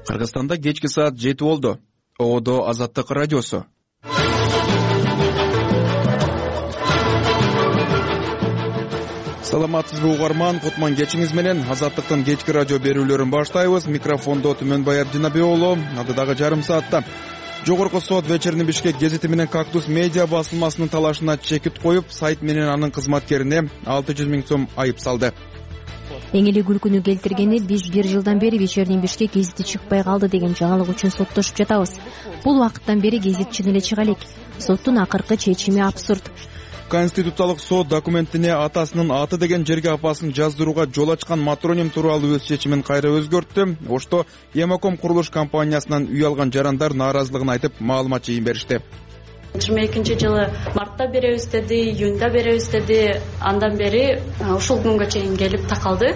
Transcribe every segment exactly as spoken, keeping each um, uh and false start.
Кыргызстанда кечки саат жети болду. Оодо Азаттык радиосу. Саламатсызбы угарман, Кутман кечиңиз менен Азаттыктын кечки радио берүүлөрүн баштайбыз. Микрофондо Түмөнбай Абдинабек уулу. Алдыдагы жарым саатта Жогорку сот Вечерний Бишкек гезити менен Кактус медиа басылмасынын талашына чекит коюп, сайт менен анын кызматкерине алты жүз миң сом айып салды. Эң эле күлкүнү келтиргени биз бир жылдан бери Вечерний Бишкек гезити чыкпай калды деген жаңылык үчүн соттошуп жатабыз. Бул убакыттан бери гезит чын эле чыга элек. Соттун акыркы чечими абсурд. Конституциялык сот документине атасынын аты деген жерге апасын жаздырууга жол ачкан матроним тууралуу өз чечимин кайра өзгөрттү. Ошто Емаком курулуш компаниясынан үй алган жарандар нааразылыгын айтып, маалымат жыйын беришти. жыйырма экинчи жылы мартта беребиз деди, июнда беребиз деди. Андан бери ушул күнгө чейин келип такалды.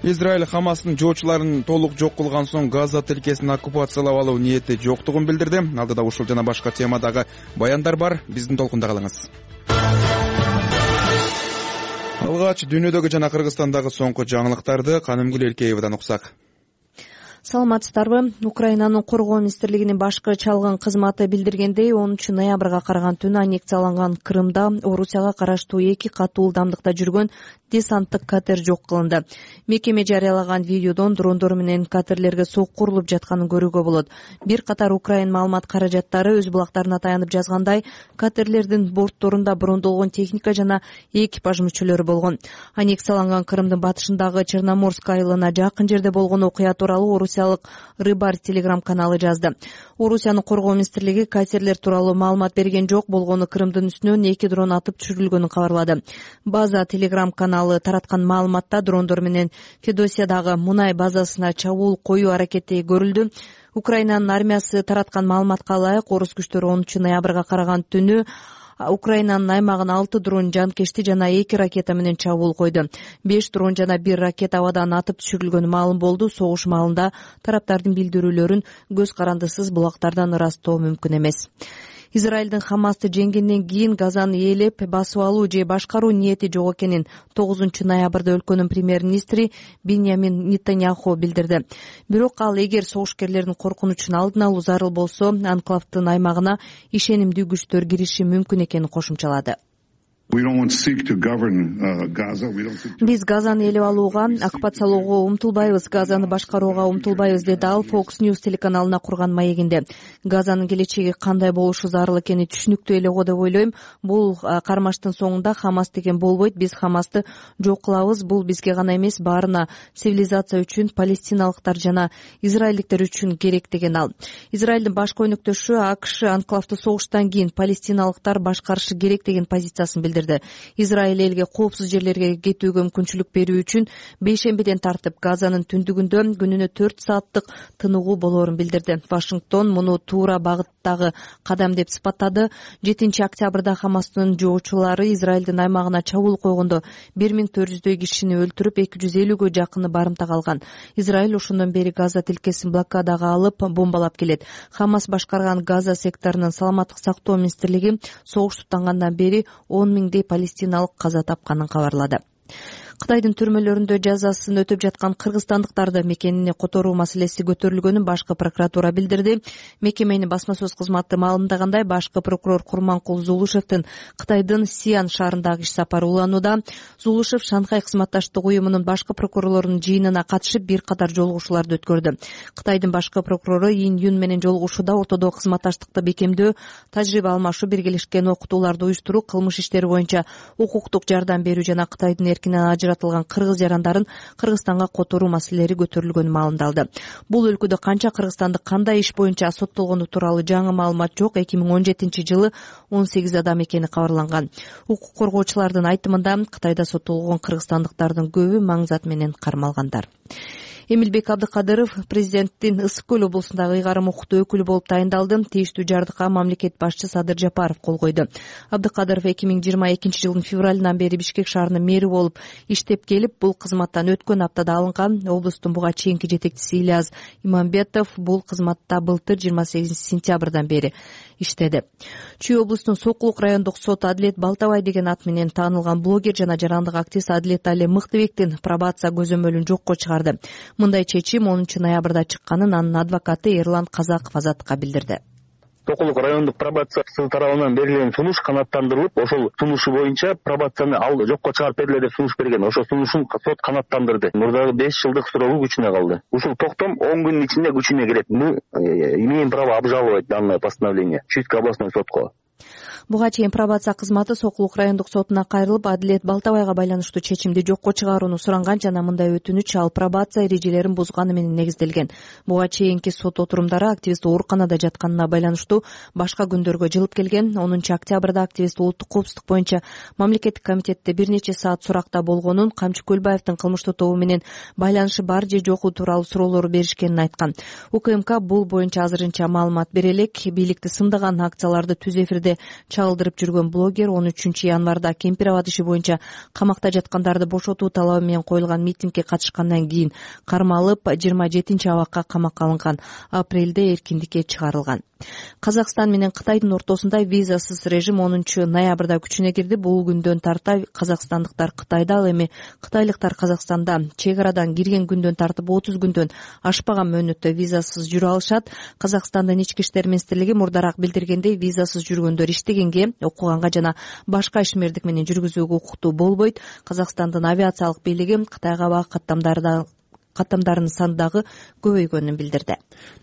Израиль Хамастын жоочуларын толук жок кылган соң Газа тилкесин оккупациялап алуу ниети жоктугун билдирди. Алдыда ушул жана башка темадагы баяндар бар. Биздин толкунда калыңыз. Алгач дүйнөдөгү жана Кыргызстандагы соңку жаңылыктарды Канымгүл Эркеевадан уксак. Саламатсыздарбы? Украинанын коргоо министрлигинин башкы чалгын кызматы билдиргендей, онунчу ноябрга караган түнү аннексияланган Крымда Орусияга караштуу эки катуу ылдамдыкта жүргөн десанттык катер жок кылынды. Мекеме жарыялаган видеодон дрондор менен катерлерге сокку урулуп жатканын көрүүгө болот. Бир катар Украин маалымат каражаттары өз булактарына таянып жазгандай, катерлердин бортторунда брондолгон техника жана экипаж мүчөлөрү болгон. Аннексияланган Крымдын батышындагы Черноморск айылына жакын жерде болгон окуя тууралуу Орусиялык Рыбарь телеграм каналы жазды. Орусиянын коргоо министрлиги катерлер тууралуу маалымат берген жок, болгону Крымдын үстүнөн эки дрон атып түшүрүлгөнүн кабарлады. База телеграм каналы тараткан маалыматта дрондор менен Федосиядагы мунай базасына чабуул коюу аракети көрүлдү. Украинанын армиясы тараткан маалыматка ылайык, орус күчтөрү онунчу ноябрга караган түнү Украинанын аймагына алты дрон жанкечти жана эки ракета менен чабуул койду. беш дрон жана бир ракета абадан атып түшүрүлгөнү маалым болду. Согуш маалында тараптардын билдирүүлөрүн көз карандысыз булактардан ырастоо мүмкүн эмес. Израилдин Хамасты жеңгенден кийин Газаны ээлеп басып алуу же башкаруу ниети жок экенин тогузунчу ноябрда өлкөнүн премьер-министри Биньямин Нетаньяху билдирди. Бирок ал эгер согушкерлердин коркунучун алдын алуу зарыл болсо, анклавдын аймагына ишенимдүү күчтөр кириши мүмкүн экенин кошумчалады. Биз Газаны ээлеп алууга, оккупациялоого умтулбайбыз, Газаны башкарууга умтулбайбыз, деди ал Fox News телеканалына курган маегинде. Газанын келечеги кандай болушу зарыл экени түшүнүктүү эле го деп ойлойм. Бул кармаштын соңунда Хамас деген болбойт. Биз Хамасты жок кылабыз. Бул бизге гана эмес, баарына, цивилизация үчүн, палестиналыктар жана израилдиктер үчүн керек, деген ал. Израилдин баш көйнөктөшү АКШ анклавды согуштан кийин палестиналыктар башкарышы керек деген позициясын билдирди. Израиль элге коопсуз жерлерге кетүүгө мүмкүнчүлүк берүү үчүн бейшембиден тартып Газанын түндүгүндө күнүнө төрт сааттык тыныгуу болоорун билдирди. Вашингтон муну туура багыттагы кадам деп сыпаттады. жетинчи октябрда Хамастын жоочулары Израилдин аймагына чабуул койгондо бир миң төрт жүздөй кишини өлтүрүп, эки жүз элүүгө жакыны барымтага алган. Израиль ошондон бери Газа тилкесин блокадага алып, бомбалап келет. Хамас башкарган Газа секторунун саламаттык сактоо министрлиги согуш туттангандан бери он миңдей палестиналык каза тапканын кабарлады. Кытайдын түрмөлөрүндө жазасын өтөп жаткан кыргызстандыктарды мекенине которуу маселеси көтөрүлгөнүн башкы прокуратура билдирди. Мекеменин басма сөз кызматы маалымдагандай, башкы прокурор Курманкул Зулушевдин Кытайдын Сиан шаарындагы иш сапары уланууда. Зулушев Шанхай кызматташтык уюмунун башкы прокурорлорунун жыйынына катышып бир катар жолугушууларды өткөрдү. Кытайдын башкы прокурору Ин Юн менен жолугушууда ортодо кызматташтыкты бекемдөө, тажрыйба алмашуу, биргелешкен окутууларды уюштуруу, кылмыш иштери боюнча укуктук жардам берүү жана Кытайдын эркинен ажыратылган кыргыз жарандарын Кыргызстанга которуу маселелери көтөрүлгөнү маалымдалды. Бул өлкөдө канча кыргызстандык кандай иш боюнча соттолгону тууралуу жаңы маалымат жок. эки миң он жетинчи жылы он сегиз адам экени кабарланган. Укук коргоочулардын айтымында Кытайда соттолгон кыргызстандыктардын көбү маңзат менен кармалгандар. Эмилбек Абдыкадыров президенттин Ысык Көл облусундагы ыйгарым укуктуу өкүлү болуп тайындалды. Тийиштүү жардыкка мамлекет башчысы Садыр Жапаров кол койду. Абдыкадыров эки миң жыйырма экинчи жылдын февралынан бери Бишкек шаарынын мэри болуп иштеп келип, бул кызматтан өткөн аптада алынган. Облустун буга чейинки жетекчиси Ильяс Имамбетов бул кызматта былтыр жыйырма сегизинчи сентябрдан бери иштеди. Чүй облустунун Сокулук райондук сот Адилет Балтабай деген ат менен таанылган блогер жана жарандык активист Адилет Али Мыктыбектин пробация көзөмөлүн жокко чыгарды. чыгарды. Мындай чечим онунчу ноябрда чыкканын анын адвокаты Эрлан Казаков Азаттыкка билдирди. Токулук райондук пробациясы тарабынан берилген сунуш канааттандырылып, ошол сунушу боюнча пробацияны ал жокко чыгарып бергиле деп сунуш берген. Ошол сунушун сот канааттандырды. Мурдагы беш жылдык суроолуу күчүнө калды. Ушул токтом он күндүн ичинде күчүнө кирет. Мы имеем право обжаловать данное постановление Чуйский областной сотко. Буга чейин пробация кызматы Сокулук райондук сотуна кайрылып, Адилет Балтабайга байланыштуу чечимди жокко чыгарууну суранган жана мындай өтүнүч ал пробация эрежелерин бузганы менен негизделген. Буга чейинки сот отурумдары активист ооруканада жатканына байланыштуу башка күндөргө жылып келген. онунчу октябрда активист улуттук коопсуздук боюнча мамлекеттик комитетте бир нече саат суракта болгонун, Камчы Көлбаевдин кылмыштуу тобу менен байланышы бар же жоку тууралуу суроолор беришкенин айткан. УКМК бул боюнча азырынча маалымат бере элек. Бийликти сындаган акцияларды түз эфирде чагылдырып жүргөн блогер он үчүнчү январда Кемпирабад иши боюнча камакта жаткандарды бошотуу талабы менен коюлган митингге катышкандан кийин кармалып жыйырма жетинчи абакка камакка алынган. Апрелде эркиндикке чыгарылган. Казакстан менен Кытайдын ортосунда визасыз режим онунчу ноябрда күчүнө кирди. Бул күндөн тарта казакстандыктар Кытайда, ал эми кытайлыктар Казакстанда чек арадан кирген күндөн тартып отуз күндөн ашпаган мөөнөттө визасыз жүрө алышат. Казакстандын ички иштер министрлиги мурдараак билдиргендей, визасыз жүргөндөр иштегенге, окуганга жана башка ишмердик менен жүргүзүүгө укуктуу болбойт. Казакстандын авиациялык бийлиги Кытайга аба каттамдарды каттамдарынын саны дагы көбөйгөнүн билдирди.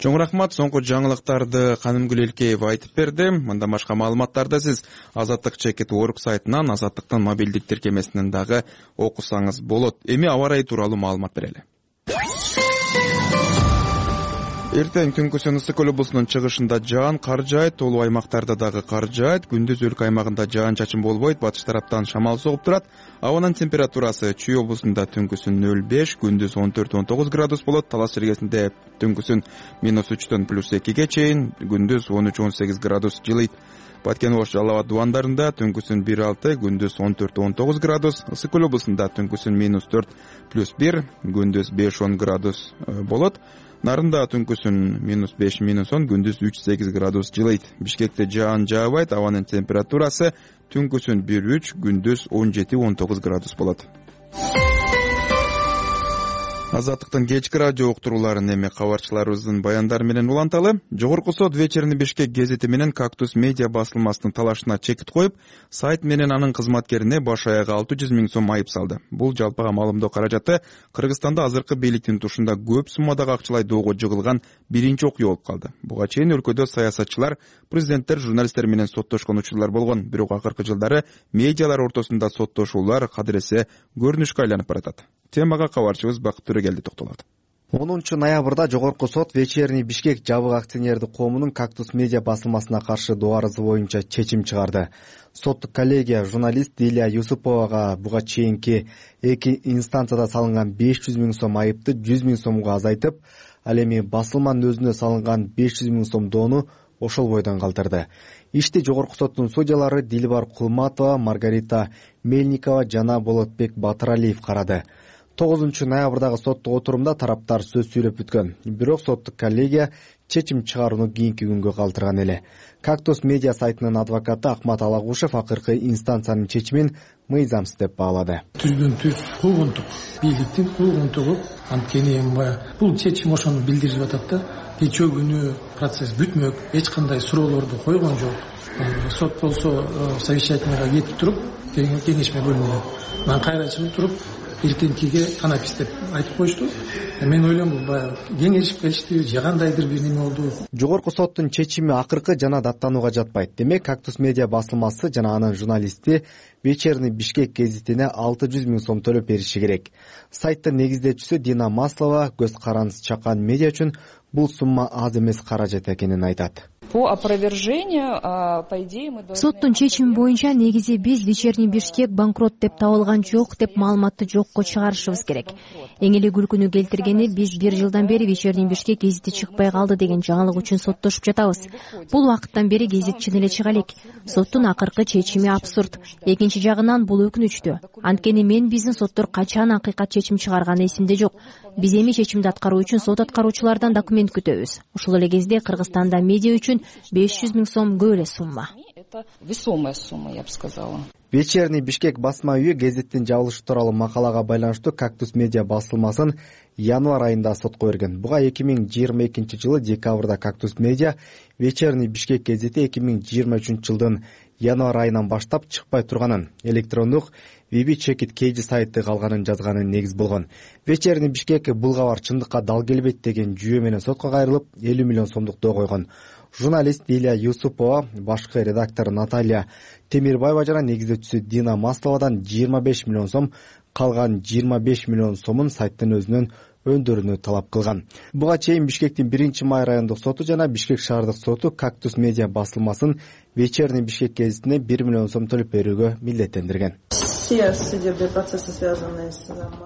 Чоң рахмат. Соңку жаңылыктарды Канымгүл Элкеева айтып берди. Мындан башка маалыматтарды сиз Азаттык чекит орг сайтынан, Азаттыктын мобилдик тиркемесинен дагы окусаңыз болот. Эми аба ырайы тууралуу маалымат берели. Эртең түнкүсүн Ысык Көл облусунун чыгышында жаан кар жаайт, толуу аймактарда дагы кар жаайт. Күндүз өлкө аймагында жаан чачын болбойт, батыш тараптан шамал согуп турат. Абанын температурасы Чүй облусунда түнкүсүн нөл беш, күндүз он төрт он тогуз градус болот. Талас жергесинде түнкүсүн минус үчтөн плюс экиге чейин, күндүз он үч он сегиз градус жылыйт. Баткен Ош Жалал абад дубандарында түнкүсүн бир алты, күндүз он төрт он тогуз градус. Ысык Көл облусунда түнкүсүн минус төрт плюс бир, күндүз беш он градус болот. Нарында түнкүсүн минус беш минус он, күндүз үч сегиз градус жылыйт. Бишкекте жаан жаабайт, абанын температурасы түнкүсүн бир үч, күндүз он жети он тогуз градус болот. Азаттыктын кечки радио уктурууларын эми кабарчыларыбыздын баяндары менен уланталы. Жогорку сот Вечерний Бишкек гезити менен Кактус медиа басылмасынын талашына чекит коюп, сайт менен анын кызматкерине баш аягы алты жүз миң сом айып салды. Бул жалпыга маалымдоо каражаты Кыргызстанда азыркы бийликтин тушунда көп суммадагы акчалай доого жыгылган биринчи окуя болуп калды. Буга чейин өлкөдө саясатчылар, президенттер, журналисттер менен соттошкон учурлар болгон. Бирок акыркы жылдары медиалар ортосунда соттошуулар кадыресе көрүнүшкө айланып баратат. Темага кабарчыбыз Бакыт Төрөгелди токтолот. онунчу ноябрда Жогорку сот Вечерний Бишкек жабык акционердик коомунун Кактус медиа басылмасына каршы доо арызы боюнча чечим чыгарды. Соттук коллегия журналист Дилия Юсуповага буга чейинки эки инстанцияда салынган беш жүз миң сом айыпты жүз миң сомго азайтып, ал эми басылманын өзүнө салынган беш жүз миң сом доону ошол бойдон калтырды. Ишти Жогорку соттун судьялары Дилбар Кулматова, Маргарита Мельникова жана Болотбек Батыралиев карады. тогузунчу ноябрдагы соттук отурумда тараптар сөз сүйлөп бүткөн. Бирок соттук коллегия чечим чыгарууну кийинки күнгө калтырган эле. Кактус медиа сайтынын адвокаты Акмат Алагушев акыркы инстанциянын чечимин мыйзамсыз деп баалады. Түздөн түз куугунтук, бийликтин куугунтугу, анткени бул чечим ошону билдирип атат да. Кечээ күнү процесс бүтмөк, эч кандай суроолорду койгон жок. Сот болсо совещательныйга кетип туруп, кеңешме бөлүнүп, мен кайра чыгып туруп эртеңкиге танапис деп айтып коюшту. Мен ойлойм бул баягы кеңешип келишти, же кандайдыр бир неме болду. Жогорку соттун чечими акыркы жана даттанууга жатпайт. Демек, Кактус медиа басылмасы жана анын журналисти Вечерний Бишкек гезитине алты жүз миң сом төлөп бериши керек. Сайттын негиздечүүсү Дина Маслова көз карандысыз чакан медиа үчүн бул сумма аз эмес каражат экенин айтат. По опровержению, по идее, мы должны... Соттун чечими боюнча негизи биз Вечерний Бишкек банкрот деп табылган жок деп маалыматты жокко чыгарышыбыз керек. Эң эле күлкүнү келтиргени биз бир жылдан бери Вечерний Бишкек гезити чыкпай калды деген жаңылык үчүн соттошуп жатабыз. Бул убакыттан бери гезит чын эле чыга элек. Соттун акыркы чечими абсурд. Экинчи жагынан бул өкүнүчтүү. Анткени мен биздин соттор качан акыйкат чечим чыгарганы эсимде жок. Биз эми чечимди аткаруу үчүн сот аткаруучулардан документ күтөбүз. Ошол эле кезде Кыргызстанда медиа үчүн беш жүз миң сом көп эле сумма. Это весомая сумма, я бы сказала. Вечерний Бишкек басма үйү гезиттин жабылышы тууралуу макалага байланыштуу Кактус медиа басылмасын январь айында сотко берген. Буга эки миң жыйырма экинчи жылы декабрда Кактус медиа Вечерний Бишкек гезити эки миң жыйырма үчүнчү жылдын январь айынан баштап чыкпай турганын, электрондук Виби Чекит Кейджи сайты калганын жазганы негиз болгон. Вечерний Бишкек бул кабар чындыкка дал келбейт деген жүйө менен сотко кайрылып элүү миллион сомдук доо койгон. Журналист Дилия Юсупова, башкы редактор Наталья Темирбаева жана негиздөөчүсү Дина Масловадан жыйырма беш миллион сом, калган жыйырма беш миллион сомун сайттын өзүнөн өндөрүүнү талап кылган. Буга чейин Бишкектин биринчи май райондук соту жана Бишкек шаардык соту Кактус медиа басылмасын Вечерний Бишкек гезитине бир миллион сом төлөп берүүгө милдеттендирген.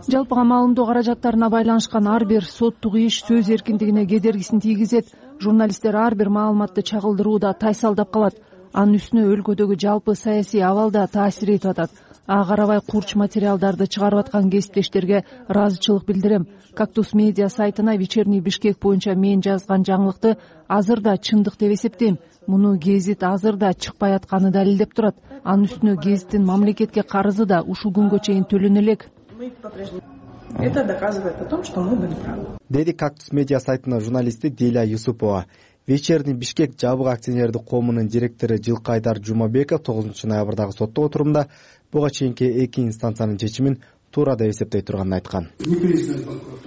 Жалпыга маалымдоо каражаттарына байланышкан ар бир соттук иш сөз эркиндигине кедергисин тийгизет. Журналисттер ар бир маалыматты чагылдырууда тайсалдап калат. Анын үстүнө өлкөдөгү жалпы саясий абалда таасир этип атат. Ага карабай курч материалдарды чыгарып аткан кесиптештерге ыраазычылык билдирем. Кактус медиа сайтына Вечерний Бишкек боюнча мен жазган жаңылыкты азыр да чындык деп эсептейм. Муну гезит азыр да чыкпай атканы далилдеп турат. Анын үстүнө гезиттин мамлекетке карызы да ушул күнгө чейин төлөнө элек. Это доказывает о том, что мы были правы. Деди Кактус медиа сайтынын журналисти Дилия Юсупова. Вечерний Бишкек жабык акционердик коомунун директору Жылкайдар Жумабеков тогузунчу ноябрдагы соттоо отурумда буга чейинки эки инстанциянын чечимин туура деп эсептей турганын айткан.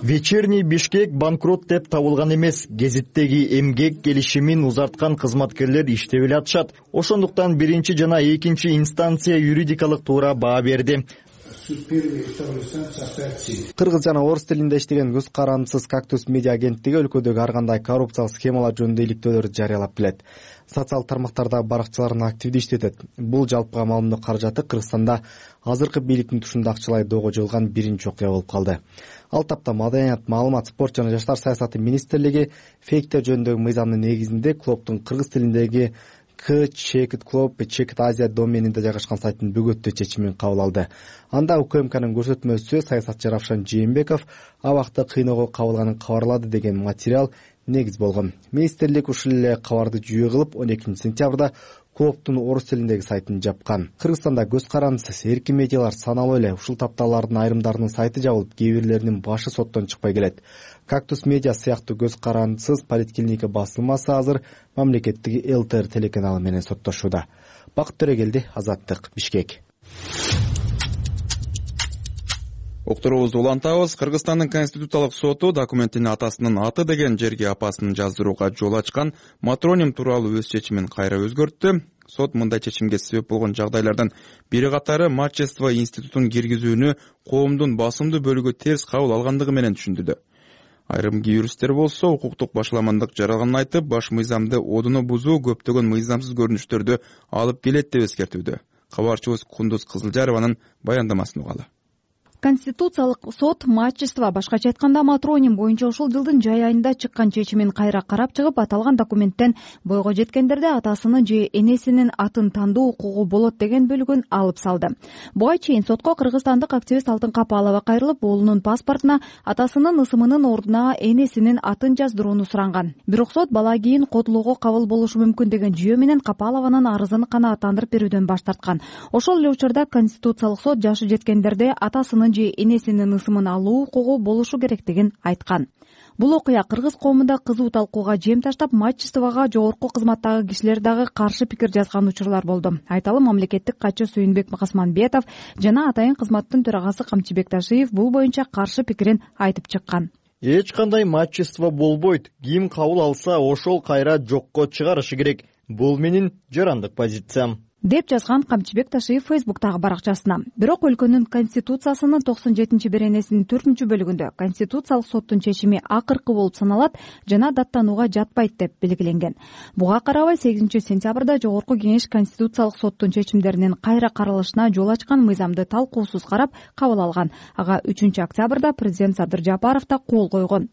Вечерний Бишкек банкрот деп табылган эмес. Гезиттеги эмгек келишимин узарткан кызматкерлер иштеп эле атышат. Ошондуктан биринчи жана экинчи инстанция юридикалык туура баа берди. Кыргыз жана орус тилинде иштеген көз карандысыз Кактус медиа агенттиги өлкөдөгү ар кандай коррупциялык схемалар жөнүндө иликтөөлөрдү жарыялап келет. Социалдык тармактарда баракчыларын активдүү иштетет. Бул жалпыга маалымдоо каражаты Кыргызстанда азыркы бийликтин тушунда акчалай доого жылган биринчи окуя болуп калды. Ал тапта Маданият, маалымат, спорт жана жаштар саясаты министрлиги фейктер жөнүндөгү мыйзамдын негизинде клубдун кыргыз тилиндеги К Чекит Клуб Чекит Азия доменинде жайгашкан сайттын бөгөттөө чечимин кабыл алды. Анда УКМКнын көрсөтмөсү саясатчы Равшан Жээнбеков абакта кыйноого кабылганын кабарлады деген материал негиз болгон. Министрлик ушул эле кабарды жүйө кылып он экинчи сентябрда клубдун орус тилиндеги сайтын жапкан. Кыргызстанда көз карандысыз эркин медиалар саналуу эле. Ушул тапталардын айрымдарынын сайты жабылып, кээ бирлеринин башы соттон чыкпай келет. Кактус медиа сыяктуу көз карандысыз поликлиника басылмасы азыр мамлекеттик ЛТР телеканалы менен соттошууда. Бакыт Төрөгелди, Азаттык, Бишкек. Уктуруубузду улантабыз. Кыргызстандын Конституциялык соту документтин атасынын аты деген жерге апасын жаздырууга жол ачкан матроним тууралуу өз чечимин кайра өзгөрттү. Сот мындай чечимге себеп болгон жагдайлардын бири катары Мачество институтун киргизүүнү коомдун басымдуу бөлүгү терс кабыл алгандыгы менен түшүндүрдү. Айрым юристтер болсо укуктук башаламандык жаралганын айтып, баш мыйзамды одуну бузуу көптөгөн мыйзамсыз көрүнүштөрдү алып келет деп эскертүүдө. Кабарчыбыз Кундуз Кызылжарованын баяндамасын угалы. Конституциялык сот Мачество, башкача айтканда матроним боюнча ушул жылдын жай айында чыккан чечимин кайра карап чыгып, аталган документтен бойго жеткендерде атасынын же энесинин атын тандоо укугу болот деген бөлүгүн алып салды. Буга чейин сотко кыргызстандык активист Алтын Капалова кайрылып, уулунун паспортуна атасынын ысымынын ордуна энесинин атын жаздырууну суранган. Бирок сот бала кийин котулууга кабыл болушу мүмкүн деген жүйө менен Капалованын арызын канааттандырып берүүдөн баш тарткан. Ошол эле учурда Конституциялык сот жашы жеткендерде атасынын же энесинин ысымын алуу укугу болушу керектигин айткан. Бул окуя кыргыз коомунда кызуу талкууга жем таштап, Мачествого жогорку кызматтагы кишилер дагы каршы пикир жазган учурлар болду. Айталы, мамлекеттик катчы Сүйүнбек Касманбетов жана атайын кызматтын төрагасы Камчыбек Ташиев бул боюнча каршы пикирин айтып чыккан. Эч кандай Мачество болбойт. Ким кабыл алса, ошол кайра жокко чыгарышы керек. Бул менин жарандык позициям, деп жазган Камчыбек Ташиев Фейсбуктагы баракчасына. Бирок өлкөнүн конституциясынын токсон жетинчи беренесинин төртүнчү бөлүгүндө Конституциялык соттун чечими акыркы болуп саналат жана даттанууга жатпайт деп белгиленген. Буга карабай сегизинчи сентябрда Жогорку Кеңеш Конституциялык соттун чечимдеринин кайра каралышына жол ачкан мыйзамды талкуусуз карап кабыл алган. Ага үчүнчү октябрда президент Садыр Жапаров да кол койгон.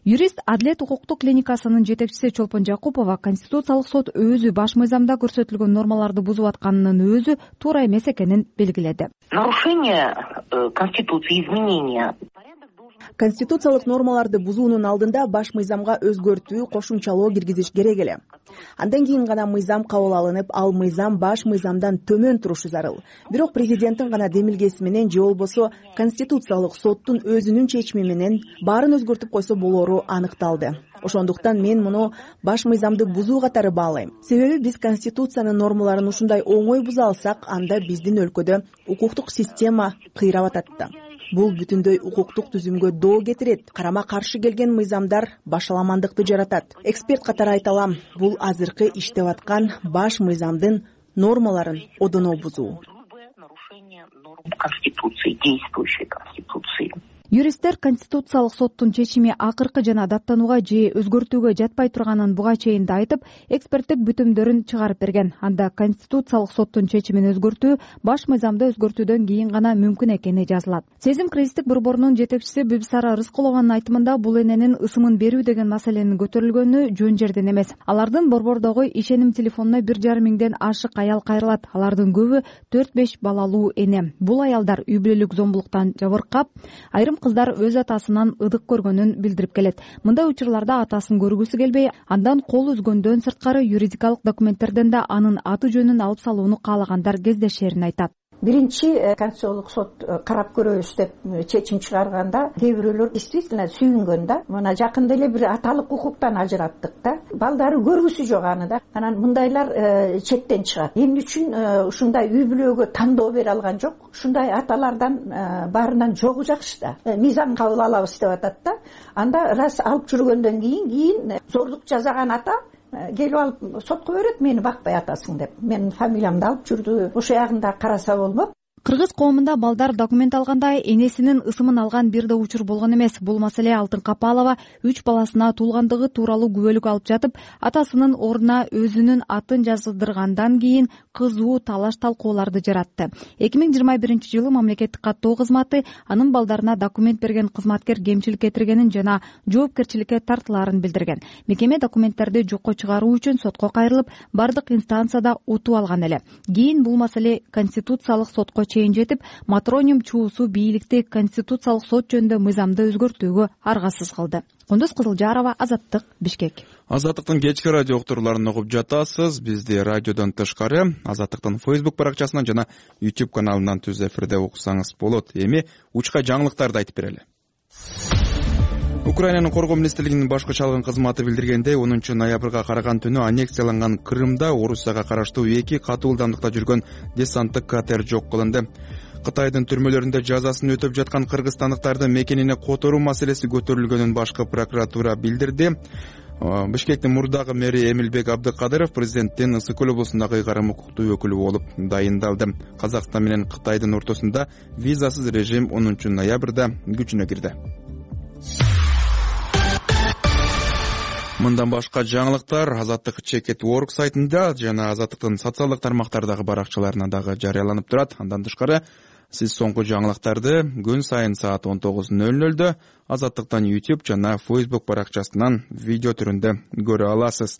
Юрист Адилет укуктук клиникасынын жетекчиси Чолпон Жакупова Конституциялык сот өзү баш мыйзамда көрсөтүлгөн нормаларды бузуп атканынын өзү туура эмес экенин белгиледи. Нарушение Конституции, изменения Конституциялык нормаларды бузуунун алдында баш мыйзамга өзгөртүү, кошумчалоо киргизиш керек эле. Андан кийин гана мыйзам кабыл алынып, ал мыйзам баш мыйзамдан төмөн турушу зарыл. Бирок президенттин гана демилгеси менен же болбосо Конституциялык соттун өзүнүн чечими менен баарын өзгөртүп койсо болору аныкталды. Ошондуктан мен муну баш мыйзамды бузуу катары баалайм. Себеби биз Конституциянын нормаларын ушундай оңой буза алсак, анда биздин өлкөдө укуктук система кыйрап атат да. Бул бүтүндөй укуктук түзүмгө доо кетирет. Карама каршы келген мыйзамдар башаламандыкты жаратат. Эксперт катары айта алам, бул азыркы иштеп аткан баш мыйзамдын нормаларын одоно бузуу. Конституции, действующей Конституции. Юристтер Конституциялык соттун чечими акыркы жана даттанууга же өзгөртүүгө жатпай турганын буга чейин да айтып, эксперттик бүтүмдөрүн чыгарып берген. Анда Конституциялык соттун чечимин өзгөртүү баш мыйзамды өзгөртүүдөн кийин гана мүмкүн экени жазылат. Сезим кризистик борборунун жетекчиси Бибисара Рыскулованын айтымында бул эненин ысымын берүү деген маселенин көтөрүлгөнү жөн жерден эмес. Алардын борбордогу ишеним телефонуна бир жарым миңден ашык аял кайрылат. Алардын көбү төрт беш балалуу эне. Бул аялдар үй бүлөлүк зомбулуктан жабыркап, айрым кыздар өз атасынан ыдык көргөнүн билдирип келет. Мындай учурларда атасын көргүсү келбей, андан кол үзгөндөн сырткары юридикалык документтерден да анын аты жөнүн алып салууну каалагандар кездешерин айтат. Биринчи Конституциялык сот карап көрөбүз деп чечим чыгарганда кээ бирөөлөр действительно сүйүнгөн да. Мына жакында эле бир аталык укуктан ажыраттык да. Балдары көргүсү жок аны да. Анан мындайлар четтен чыгат. Эмне үчүн ушундай үй бүлөгө тандоо бере алган жок? Ушундай аталардан баарынан жогу жакшы да. Мыйзам кабыл алабыз деп атат да. Анда раз алып жүргөндөн кийин кийин зорлук жасаган ата келип алып сотко берет, мени бакпай атасың деп. Менин фамилиямды алып жүрдү. Ошо ягында караса болмок. Кыргыз коомунда балдар документ алганда энесинин ысымын алган бир да учур болгон эмес. Бул маселе Алтын Капалова үч баласына туулгандыгы тууралуу күбөлүк алып жатып, атасынын ордуна өзүнүн атын жаздыргандан кийин кызуу талаш талкууларды жаратты. эки миң жыйырма биринчи жылы мамлекеттик каттоо кызматы анын балдарына документ берген кызматкер кемчилик кетиргенин жана жоопкерчиликке тартылаарын билдирген. Мекеме документтерди жокко чыгаруу үчүн сотко кайрылып, бардык инстанцияда утуп алган эле. Кийин бул маселе Конституциялык сотко чейин жетип, Матроним чуусу бийликти Конституциялык сот жөнүндө мыйзамды өзгөртүүгө аргасыз кылды. Кундуз Кызылжарова, Азаттык, Бишкек. Азаттыктын кечки радио уктурууларын угуп жатасыз. Бизди радиодон тышкары Азаттыктын Facebook баракчасынан жана YouTube каналынан түз эфирде уксаңыз болот. Эми учка жаңылыктарды айтып берели. Украинанын коргоо министрлигинин башкы чалгын кызматы билдиргендей, онунчу ноябрга караган түнү аннексияланган Крымда Орусияга караштуу эки катуу ылдамдыкта жүргөн десанттык катер жок кылынды. Кытайдын түрмөлөрүндө жазасын өтөп жаткан кыргызстандыктардын мекенине которуу маселеси көтөрүлгөнүн башкы прокуратура билдирди. Бишкектин мурдагы мэри Эмилбек Абдыкадыров президенттин Ысык көл облусундагы ыйгарым укуктуу өкүлү болуп дайындалды. Казакстан менен Кытайдын ортосунда визасыз режим онунчу ноябрда күчүнө кирди. Мындан башка жаңылыктар Азаттык чекет точка орг сайтында жана Азаттыктын социалдык тармактардагы баракчаларына дагы жарыяланып турат. Андан тышкары сиз соңку жаңылыктарды күн сайын саат он тогуз ноль нольдо Азаттыктан YouTube жана Facebook баракчасынан видео түрүндө көрө аласыз.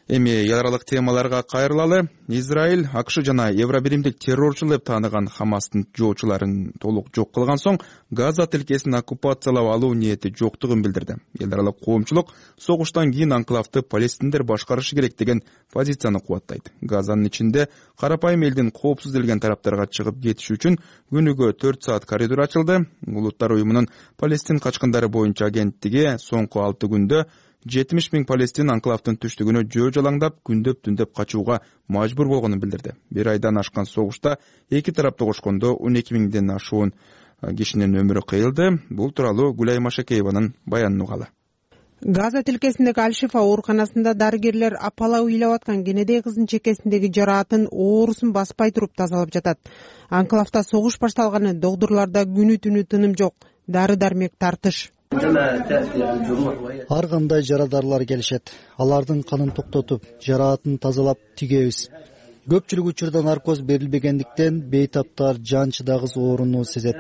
Эми эл аралык темаларга кайрылалы. Израиль, АКШ жана Евробиримдик террорчу деп тааныган Хамастын жоочуларын толук жок кылган соң Газа тилкесин оккупациялап алуу ниети жоктугун билдирди. Эл аралык коомчулук согуштан кийин анклавды палестиндер башкарышы керек деген позицияны кубаттайт. Газанын ичинде карапайым элдин коопсуз делген тараптарга чыгып кетиш үчүн күнүгө төрт саат коридор ачылды. Улуттар уюмунун Палестин качкындары боюнча агенттиги соңку алты күндө жетимиш миң палестин анклавдын түштүгүнө жөө жалаңдап, күндөп түндөп качууга мажбур болгонун билдирди. Бир айдан ашкан согушта эки тарап тогушкондо он эки миңден ашуун кишинин өмүрү кыйылды. Бул тууралуу Гүлай Машакееванын баянын угалы. Газа тилкесиндеги Аль-Шифа ооруканасында дарыгерлер апала уйлап аткан кенедей кыздын чекесиндеги жараатын оорусун баспай туруп тазалап жатат. Анклавда согуш башталганы догдурларда күнү түнү тыным жок. Дары-дармек тартыш. Ар кандай жарадарлар келишет. Алардын канын токтотуп, жараатын тазалап тигебиз. Көпчүлүк учурда наркоз берилбегендиктен бейтаптар жан чыдагыс ооруну сезет.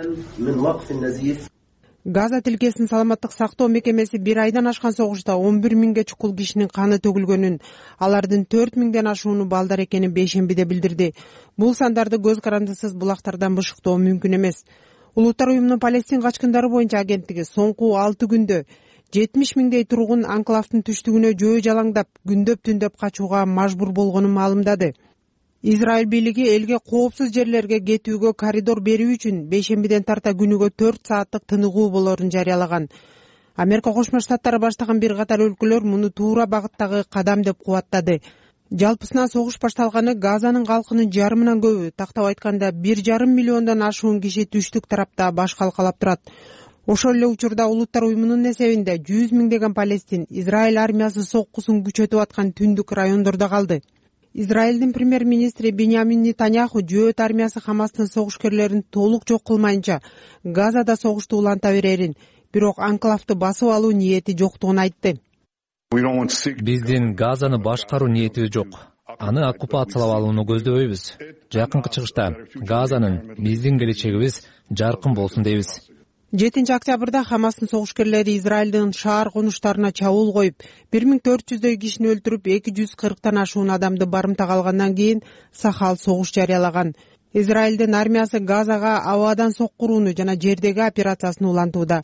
Газа тилкесинин саламаттык сактоо мекемеси бир айдан ашкан согушта он бир миңге чукул кишинин каны төгүлгөнүн, алардын төрт миңден ашууну балдар экенин бейшембиде билдирди. Бул сандарды көз карандысыз булактардан бышыктоо мүмкүн эмес. Улуттар уюмунун Палестин качкындары боюнча агенттиги соңку алты күндө жетимиш миңдей тургун анклавдын түштүгүнө жөө жалаңдап, күндөп түндөп качууга мажбур болгонун маалымдады. Израиль бийлиги элге коопсуз жерлерге кетүүгө коридор берүү үчүн бейшембиден тарта күнүгө төрт сааттык тыныгуу болоорун жарыялаган. Америка Кошмо Штаттары баштаган бир катар өлкөлөр муну туура багыттагы кадам деп кубаттады. Жалпысынан согуш башталганы Газанын калкынын жарымынан көбү, тактап айтканда бир жарым миллиондон ашуун киши түштүк тарапта баш калкалап турат. Ошол эле учурда Улуттар уюмунун эсебинде жүз миңдеген Палестин Израиль армиясы соккусун күчөтүп аткан түндүк райондордо калды. Израилдин премьер-министри Биньямин Нетаньяху жөөт армиясы Хамастын согушкерлерин толук жок кылмайынча Газада согушту уланта берерин, бирок анклавды басып алуу ниети жоктугун айтты. Биздин Газаны башкаруу ниетибиз жок. Аны оккупациялап алууну көздөбөйбүз. Жакынкы чыгышта Газанын биздин келечегибиз жаркын болсун дейбиз. жетинчи октябрда Хамастын согушкерлери Израилдин шаар конуштарына чабуул коюп, бир миң төрт жүздөй кишини өлтүрүп, эки жүз кырктан ашуун адамды барымтага алгандан кийин сахал согуш жарыялаган. Израилдин армиясы Газага абадан соккурууну жана жердеги операциясын улантууда.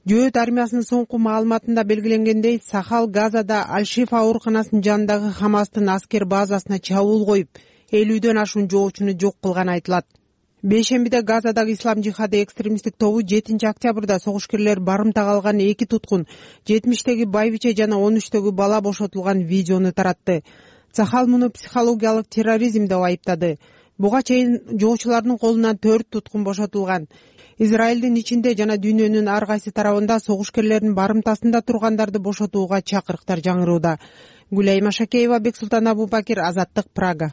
Жөөт армиясынын соңку маалыматында белгиленгендей, Сахал Газада Аль-Шифа ооруканасынын жанындагы Хамастын аскер базасына чабуул коюп, элүүдөн ашуун жоочуну жок кылганы айтылат. Бейшембиде Газадагы ислам жихады экстремисттик тобу жетинчи октябрда согушкерлер барымтага алган эки туткун, жетимиштеги байбиче жана он үчтөгү бала бошотулган видеону таратты. Сахал муну психологиялык терроризм деп айыптады. Буга чейин жоочулардын колунан төрт туткун бошотулган. Израилдин ичинде жана дүйнөнүн ар кайсы тарабында согушкерлердин барымтасында тургандарды бошотууга чакырыктар жаңырууда. Гүлайма Шакеева, Бексултан Абубакир, Азаттык, Прага.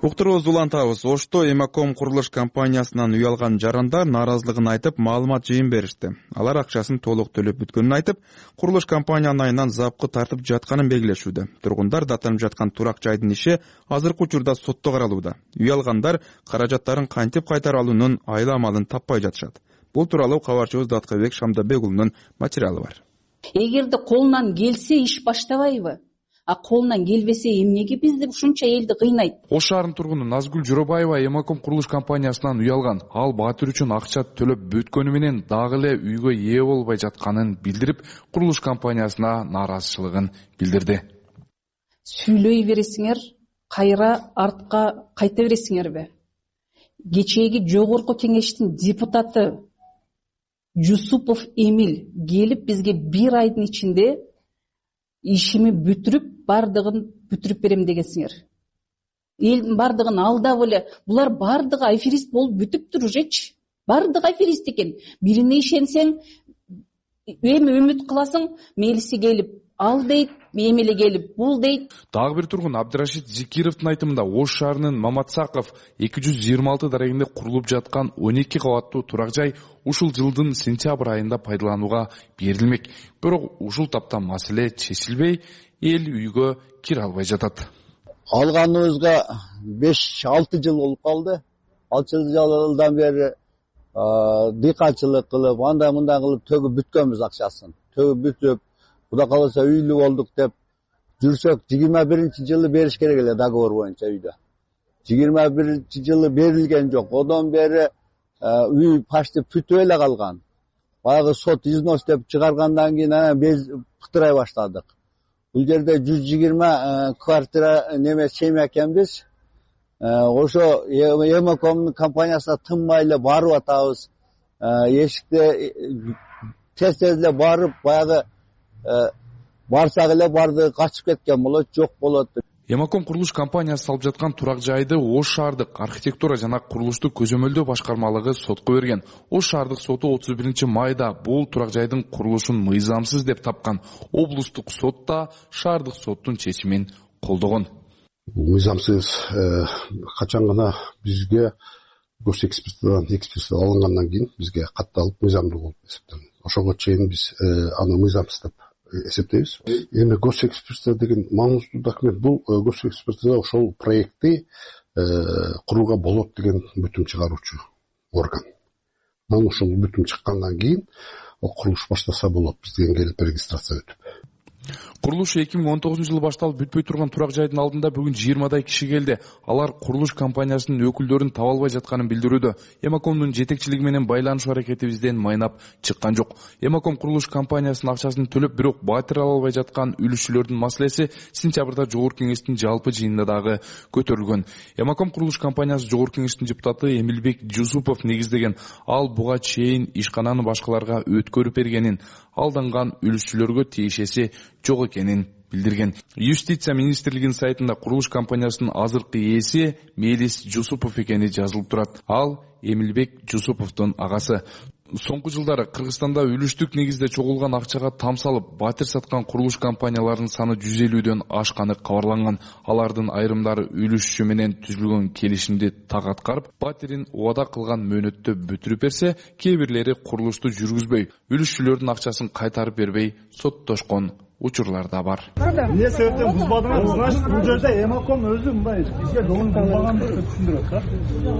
Уктурубузду улантабыз. Ошто Эмаком курулуш компаниясынан үй алган жарандар нааразылыгын айтып, маалымат жыйын беришти. Алар акчасын толук төлөп бүткөнүн айтып, курулуш компаниянын айынан запкы тартып жатканын белгилешүүдө. Тургундар даттанып жаткан турак жайдын иши азыркы учурда сотто каралууда. Үй алгандар каражаттарын кантип кайтарып алуунун айла амалын таппай жатышат. Бул тууралуу кабарчыбыз Даткабек Шамдабек-уулунун материалы бар. Эгерде колунан келсе иш баштабайбы? А колунан келбесе эмнеге бизди ушунча элди кыйнайт? Ош шаарынын тургуну Назгүл Жоробаева Эмаком курулуш компаниясынан үй алган. Ал баатыр үчүн акча төлөп бүткөнү менен дагы эле үйгө ээ болбой жатканын билдирип, курулуш компаниясына нааразычылыгын билдирди. Сүйлөй бересиңер, кайра артка кайта бересиңерби? Кечээги жогорку кеңештин депутаты Жусупов Эмил келип бизге бир айдын ичинде ишими бүтүрүп, бардыгын бүтүрүп берем дегенсиңер. Элдин бардыгын алдап эле, булар бардыгы аферист болуп бүтүптүр ужечи. Бардыгы аферист экен. Бирине ишенсең, эми үмүт кыласың, мелиси келип ал дейт, эмели келип бул дейт. Дагы бир тургун Абдырашид Зикировдун айтымында Ош шаарынын Маматсаков эки жүз жыйырма алты дарегинде курулуп жаткан он эки кабаттуу турак жай ушул жылдын сентябрь айында пайдаланууга берилмек. Бирок ушул тапта маселе чечилбей, эл үйгө кире албай жатат. Алганыбызга беш алты жыл болуп калды. алты жылдан бери дыйканчылык кылып, андай мындай кылып төгүп бүткөнбүз акчасын. Төгүп бүтүп, Кудай кааласа үйлүү болдук деп жүрсөк, жыйырма биринчи жылы бериш керек эле договор боюнча үйдө. жыйырма биринчи жылы берилген жок. Одон бери үй почти бүтүп эле калган. Баягы сот износ деп чыгаргандан кийин анан без пытырай баштадык. Бул жерде жүз жыйырма квартира неме семья экенбиз. Ошо Эмаком компаниясына тынбай эле барып атабыз. Эшикте тез-тез эле барып, баягы барсак эле барды качып кеткен болот, жок болот. Эмаком курулуш компаниясы салып жаткан турак жайды Ош шаардык архитектура жана курулушту көзөмөлдөө башкармалыгы сотко берген. Ош шаардык соту отуз биринчи майда бул турак жайдын курулушун мыйзамсыз деп тапкан. Облустук сот да шаардык соттун чечимин колдогон. Мыйзамсыз качан гана бизге гос экспертизадан экспертиза алынгандан кийин бизге катталып мыйзамдуу болуп эсептелген. Ошого чейин биз аны мыйзамсыз деп эсептейбиз. Эми гос экспертиза деген маңыздуу документ. Бул гос экспертиза ошол проектти курууга болот деген бүтүм чыгаруучу орган. Анан ошол бүтүм чыккандан кийин курулуш баштаса болот, бизден келип регистрация өтүп. Курулуш эки миң он тогузунчу жылы башталып бүтпөй турган турак жайдын алдында бүгүн жыйырмадай киши келди. Алар курулуш компаниясынын өкүлдөрүн таба албай жатканын билдирүүдө. Эмакомдун жетекчилиги менен байланышуу аракетибизден майнап чыккан жок. Эмаком курулуш компаниясынын акчасын төлөп, бирок батир ала албай жаткан үлүшчүлөрдүн маселеси сентябрда жогорку кеңештин жалпы жыйынында дагы көтөрүлгөн. Эмаком курулуш компаниясы жогорку кеңештин депутаты Эмилбек Жусупов негиздеген. Ал буга чейин ишкананы башкаларга өткөрүп бергенин, алданган үлүшчүлөргө тиешеси жок экенин билдирген. Юстиция министрлигинин сайтында курулуш компаниясынын азыркы ээси Мелис Жусупов экени жазылып турат. Ал Эмилбек Жусуповдун агасы. Соңку жылдары Кыргызстанда үлүштүк негизде чогулган акчага там салып, батир саткан курулуш компанияларынын саны жүз элүүдөн ашканы кабарланган. Алардын айрымдары үлүшчү менен түзүлгөн келишимди так аткарып, батирин убада кылган мөөнөттө бүтүрүп берсе, кээ бирлери курулушту жүргүзбөй, үлүшчүлөрдүн акчасын кайтарып бербей соттошкон учурлар да бар. Эмне себептен бузбадыңыз? Значит, бул жерде Эмаком өзү мындай бизге долун бузбагандыгын түшүндүрөт да.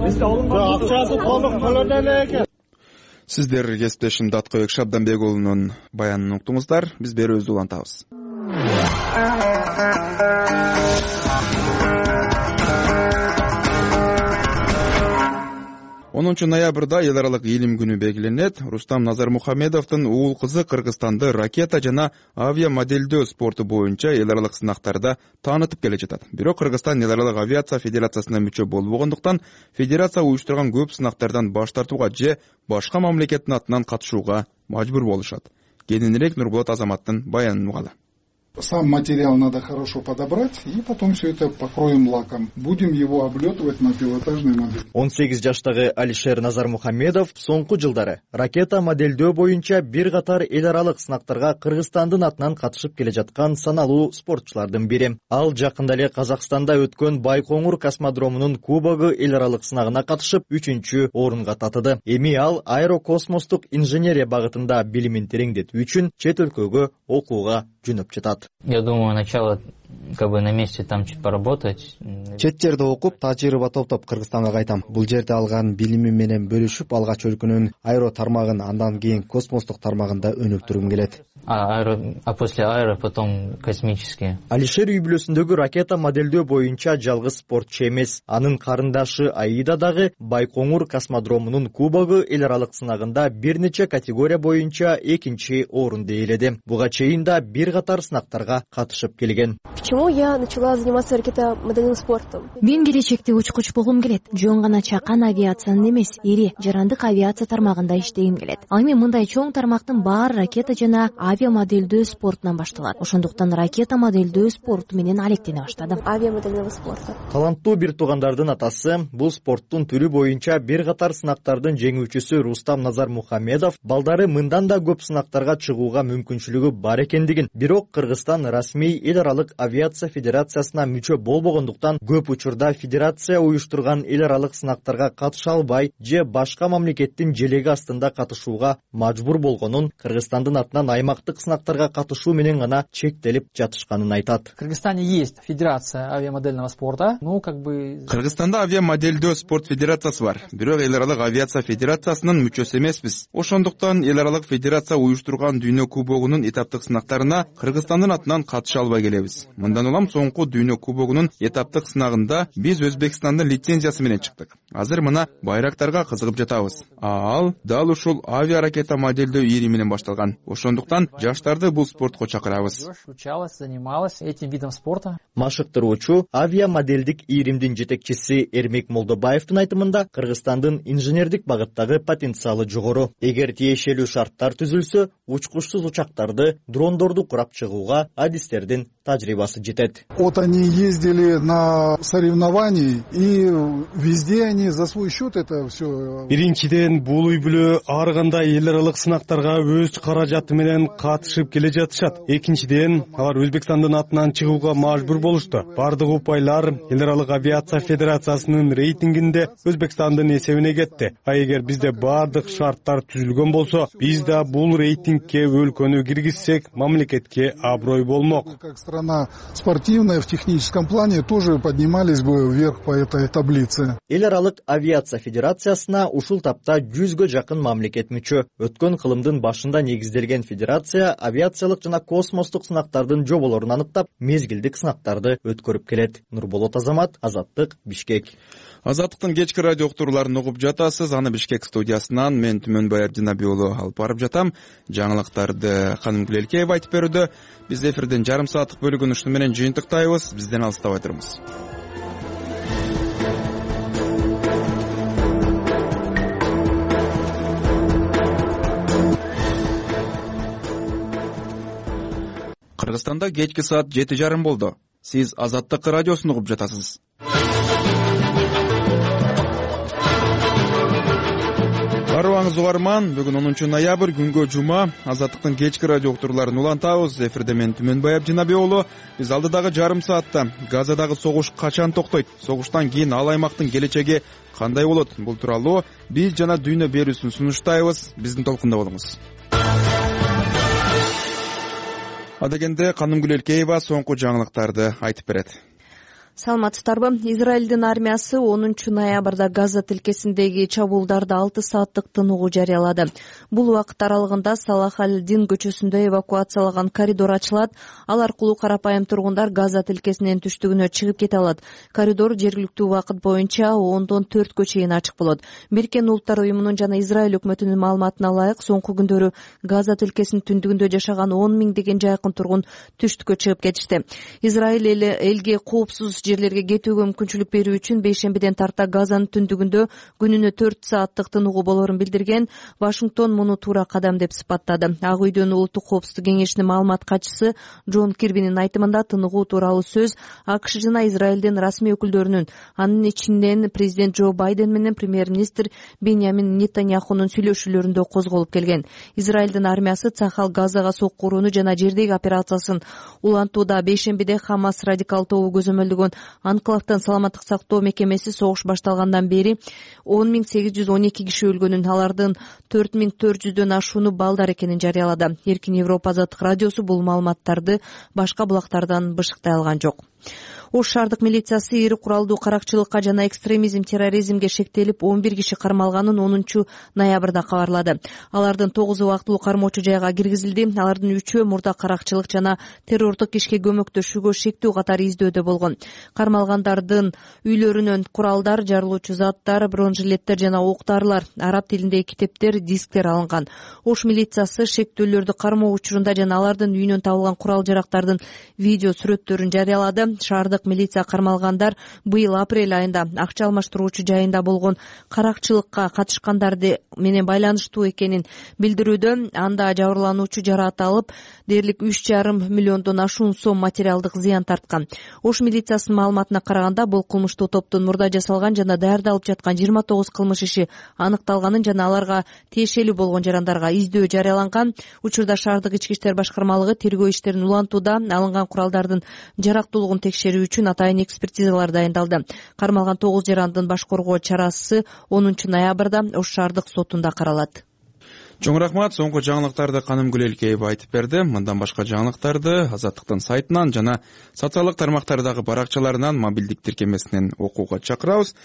Эсте алынган акчасы толук төлөдө эле экен. Сиздер кесиптешим Даткөбек Шабданбек уулунун баянын уктуңуздар. Биз берүүбүздү улантабыз. онунчу ноябрда эл аралык илим күнү белгиленет. Рустам Назармухамедовдун уул кызы Кыргызстанды ракета жана авиа моделдөө спорту боюнча эл аралык сынактарда таанытып келе жатат. Бирок Кыргызстан эл аралык авиация федерациясына мүчө болбогондуктан федерация уюштурган көп сынактардан баш тартууга же башка мамлекеттин атынан катышууга мажбур болушат. Кененирээк Нурболот Азаматтын баянын угалы. Сам материал надо хорошо подобрать, и потом все это покроем лаком. Будем его облетывать на пилотажной модели. он сегиз жаштагы Алишер Назармухамедов соңку жылдары ракета модельдөө боюнча бир катар эл аралык сынактарга Кыргызстандын атынан катышып келе жаткан саналуу спортчулардын бири. Ал жакында эле Казакстанда өткөн Байкоңур космодромунун кубогу эл аралык сынагына катышып үчүнчү орунга татыды. Эми ал аэрокосмостук инженерия багытында билимин тереңдетүү үчүн чет өлкөгө окууга жөнөп жатат. Я думаю, начало как бы на месте там чуть поработать. Чет жерде окуп, тажрыйба топтоп Кыргызстанга кайтам. Бул жерде алган билимим менен бөлүшүп, алгач өлкөнүн аэро тармагын, андан кийин космостук тармагында өнүктүргүм келет. А, аэро, а после аэро потом космические. Алишер үй бүлөсүндөгү ракета модельдөө боюнча жалгыз спортчу эмес. Анын карындашы Аида дагы Байкоңур космодромунун кубогу эл аралык сынагында бир нече категория боюнча экинчи орунду ээледи. Буга чейин да бир катар сынактарга катышып келген. Почему я начала заниматься ракетомодельным спортом? Мен келечекте учкуч болгум келет. Жөн гана чакан авиациянын эмес, ири жарандык авиация тармагында иштегим келет. Ал эми мындай чоң тармактын баары ракета жана авиа модельдөө спортунан башталат. Ошондуктан ракета модельдөө спорту менен алектене баштадым. Авиа модельдөө спорту. Таланттуу бир туугандардын атасы бул спорттун түрү боюнча бир катар сынактардын жеңүүчүсү Рустам Назармухамедов балдары мындан да көп сынактарга чыгууга мүмкүнчүлүгү бар экендигин, бирок Кыргызстан расмий эл аралык авиация федерациясына мүчө болбогондуктан көп учурда федерация уюштурган эл аралык сынактарга катыша албай же башка мамлекеттин желеги астында катышууга мажбур болгонун, Кыргызстандын атынан аймактык сынактарга катышуу менен гана чектелип жатышканын айтат. В Кыргызстане есть федерация авиамодельного спорта, ну как бы Кыргызстанда авиамодельдөө спорт федерациясы бар. Бирок эл аралык авиация федерациясынын мүчөсү эмеспиз. Ошондуктан эл аралык федерация уюштурган дүйнө кубогунун этаптык сынактарына Кыргызстандын атынан катыша албай келебиз. Мындан улам соңку дүйнө кубогунун этаптык сынагында биз Өзбекстандын лицензиясы менен чыктык. Азыр мына байрактарга кызыгып жатабыз. Ал дал ушул авиа ракета модельдөө ири менен башталган. Ошондуктан жаштарды бул спортко чакырабыз. Учалась, занималась этим видом спорта. Машыктыруучу авиа модельдик иримдин жетекчиси Эрмек Молдобаевдин айтымында Кыргызстандын инженердик багыттагы потенциалы жогору. Эгер тиешелүү шарттар түзүлсө, учкучсуз учактарды, дрондорду курап чыгууга адистердин тажрыйбасы жетет. Вот они ездили на соревнования, и везде они за свой счет это все. Биринчиден бул үй бүлө ар кандай эл аралык сынактарга өз каражаты менен катышып келе жатышат. Экинчиден алар Өзбекстандын атынан чыгууга мажбур болушту. Бардык упайлар эл аралык авиация федерациясынын рейтингинде Өзбекстандын эсебине кетти. А эгер бизде бардык шарттар түзүлгөн болсо, биз да бул рейтинг менен кээ өлкөнү киргизсек мамлекетке аброй болмок. Как страна спортивная в техническом плане тоже поднимались бы вверх по этой таблице. Эл аралык авиация федерациясына ушул тапта жүзгө жакын мамлекет мүчө. Өткөн кылымдын башында негизделген федерация авиациялык жана космостук сынактардын жоболорун аныктап, мезгилдик сынактарды өткөрүп келет. Нурболот Азамат, Азаттык, Бишкек. Азаттыктын кечки радио уктурууларын угуп жатасыз. Аны Бишкек студиясынан мен Түмөнбай Абдинаби уулу алып барып жатам. Жаңылыктарды Канымгүл Элкеева айтып берүүдө. Биз эфирдин жарым сааттык бөлүгүн ушуну менен жыйынтыктайбыз. Бизден алыстабай туруңуз. Кыргызстанда кечки саат жети жарым болду. Сиз Азаттык радиосун угуп жатасыз. Барыбаңыз угарман, бүгүн онунчу ноябрь, күнгө жума. Азаттыктын кечки радио уктурууларын улантабыз. Эфирде мен Түмөнбай Абдинаби уулу. Биз алдыдагы жарым саатта Газадагы согуш качан токтойт, согуштан кийин ал аймактын келечеги кандай болот? Бул тууралуу биз жана дүйнө берүүсүн сунуштайбыз. Биздин толкунда болуңуз. Адегенде Канымгүл Элкеева соңку жаңылыктарды айтып берет. Саламатсыздарбы? Израилдин армиясы онунчу ноябрда Газа тилкесиндеги чабуулдарды алты сааттык тыныгуу жарыялады. Бул убакыт аралыгында Салах аль-Дин көчөсүндө эвакуациялаган коридор ачылат. Ал аркылуу карапайым тургундар Газа тилкесинин түштүгүнө чыгып кете алат. Коридор жергиликтүү убакыт боюнча ондон төрткө чейин ачык болот. Бириккен Улуттар уюмунун жана Израиль өкмөтүнүн маалыматына ылайык, соңку күндөрү Газа тилкесинин түндүгүндө жашаган он миңдеген жайкын тургун түштүккө чыгып кетишти. Израиль эли элге коопсуз жерлерге кетүүгө мүмкүнчүлүк берүү үчүн бейшембиден тарта Газанын түндүгүндө күнүнө төрт сааттык тыныгуу болоорун билдирген. Вашингтон муну туура кадам деп сыпаттады. Ак үйдүн улуттук коопсуздук кеңешинин маалымат катчысы Джон Кирбинин айтымында тыныгуу тууралуу сөз АКШ жана Израилдин расмий өкүлдөрүнүн, анын ичинен президент Джо Байден менен премьер-министр Беньямин Нетаньяхунун сүйлөшүүлөрүндө козголуп келген. Израилдин армиясы Цахал Газага сокку урууну жана жердеги операциясын улантууда. Бейшембиде Хамас радикал тобу көзөмөлдөгөн анклавдын саламаттык сактоо мекемеси согуш башталгандан бери он миң сегиз жүз он эки киши өлгөнүн, алардын төрт миң төрт жүздөн ашууну балдар экенин жарыялады. Эркин Европа Азаттык радиосу бул маалыматтарды башка булактардан бышыктай алган жок. Ош шаардык милициясы ири куралдуу каракчылыкка жана экстремизм, терроризмге шектелип он бир киши кармалганын онунчу ноябрда кабарлады. Алардын тогузу убактылуу кармоочу жайга киргизилди. Алардын үчөө мурда каракчылык жана террордук ишке көмөктөшүүгө шектүү катары издөөдө болгон. Кармалгандардын үйлөрүнөн куралдар, жарылуучу заттар, бронежилеттер жана октарлар, араб тилиндеги китептер, дисктер алынган. Ош милициясы шектүүлөрдү кармоо учурунда жана алардын үйүнөн табылган курал-жарактардын видео сүрөттөрүн жарыялады. Шаардык милиция кармалгандар быйыл апрель айында акча алмаштыруучу жайында болгон каракчылыкка катышкандарды менен байланыштуу экенин билдирүүдө. Анда жабырлануучу жараат алып, дээрлик үч жарым миллиондон ашуун сом материалдык зыян тарткан. Ош милициясынын маалыматына караганда, бул кылмыштуу топтун мурда жасалган жана даярдалып жаткан жыйырма тогуз кылмыш иши аныкталганын жана аларга тиешелүү болгон жарандарга издөө жарыяланган. Учурда шаардык ички иштер башкармалыгы тергөө иштерин улантууда. Алынган куралдардын жарактуулугун текшерүү үчүн атайын экспертизалар дайындалды. Кармалган тогуз жарандын баш коргоо чарасы онунчу ноябрда Ош шаардык сотунда каралат. Чоң рахмат. Соңку жаңылыктарды Канымгүл Элкеева айтып берди. Мындан башка жаңылыктарды Азаттыктын сайтынан жана социалдык тармактардагы баракчаларынан, мобилдик тиркемесинен окууга чакырабыз.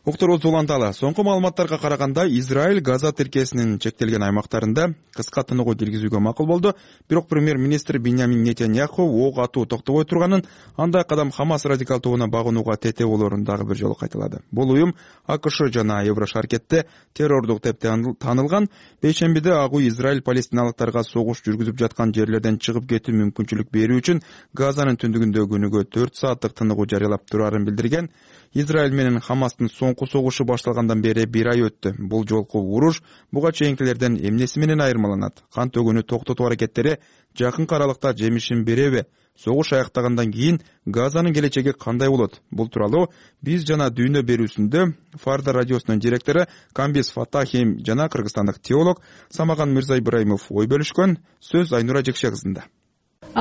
Уктуруубузду уланталы. Соңку маалыматтарга караганда, Израиль Газа тилкесинин чектелген аймактарында кыска тыныгуу киргизүүгө макул болду. Бирок премьер-министр Беньямин Нетаньяху ок атуу токтобой турганын, андай кадам Хамас радикал тобуна багынууга тете болоорун дагы бир жолу кайталады. Бул уюм АКШ жана Еврошаркетте террордук деп таанылган. Бейшембиде Ак үй Израиль палестиналыктарга согуш жүргүзүп жаткан жерлерден чыгып кетүү мүмкүнчүлүк берүү үчүн Газанын түндүгүндө күнүгө төрт сааттык тыныгуу жарыялап турарын билдирген. Израиль менен Хамастын соңку согушу башталгандан бери бир ай өттү. Бул жолку уруш буга чейинкилерден эмнеси менен айырмаланат? Кан төгүүнү токтотуу аракеттери жакынкы аралыкта жемишин береби? Согуш аяктагандан кийин Газанын келечеги кандай болот? Бул тууралуу биз жана дүйнө берүүсүндө Фарда радиосунун директору Камбис Фатахим жана кыргызстандык теолог Самаган Мырза Ибраимов ой бөлүшкөн. Сөз Айнура Жекше кызында.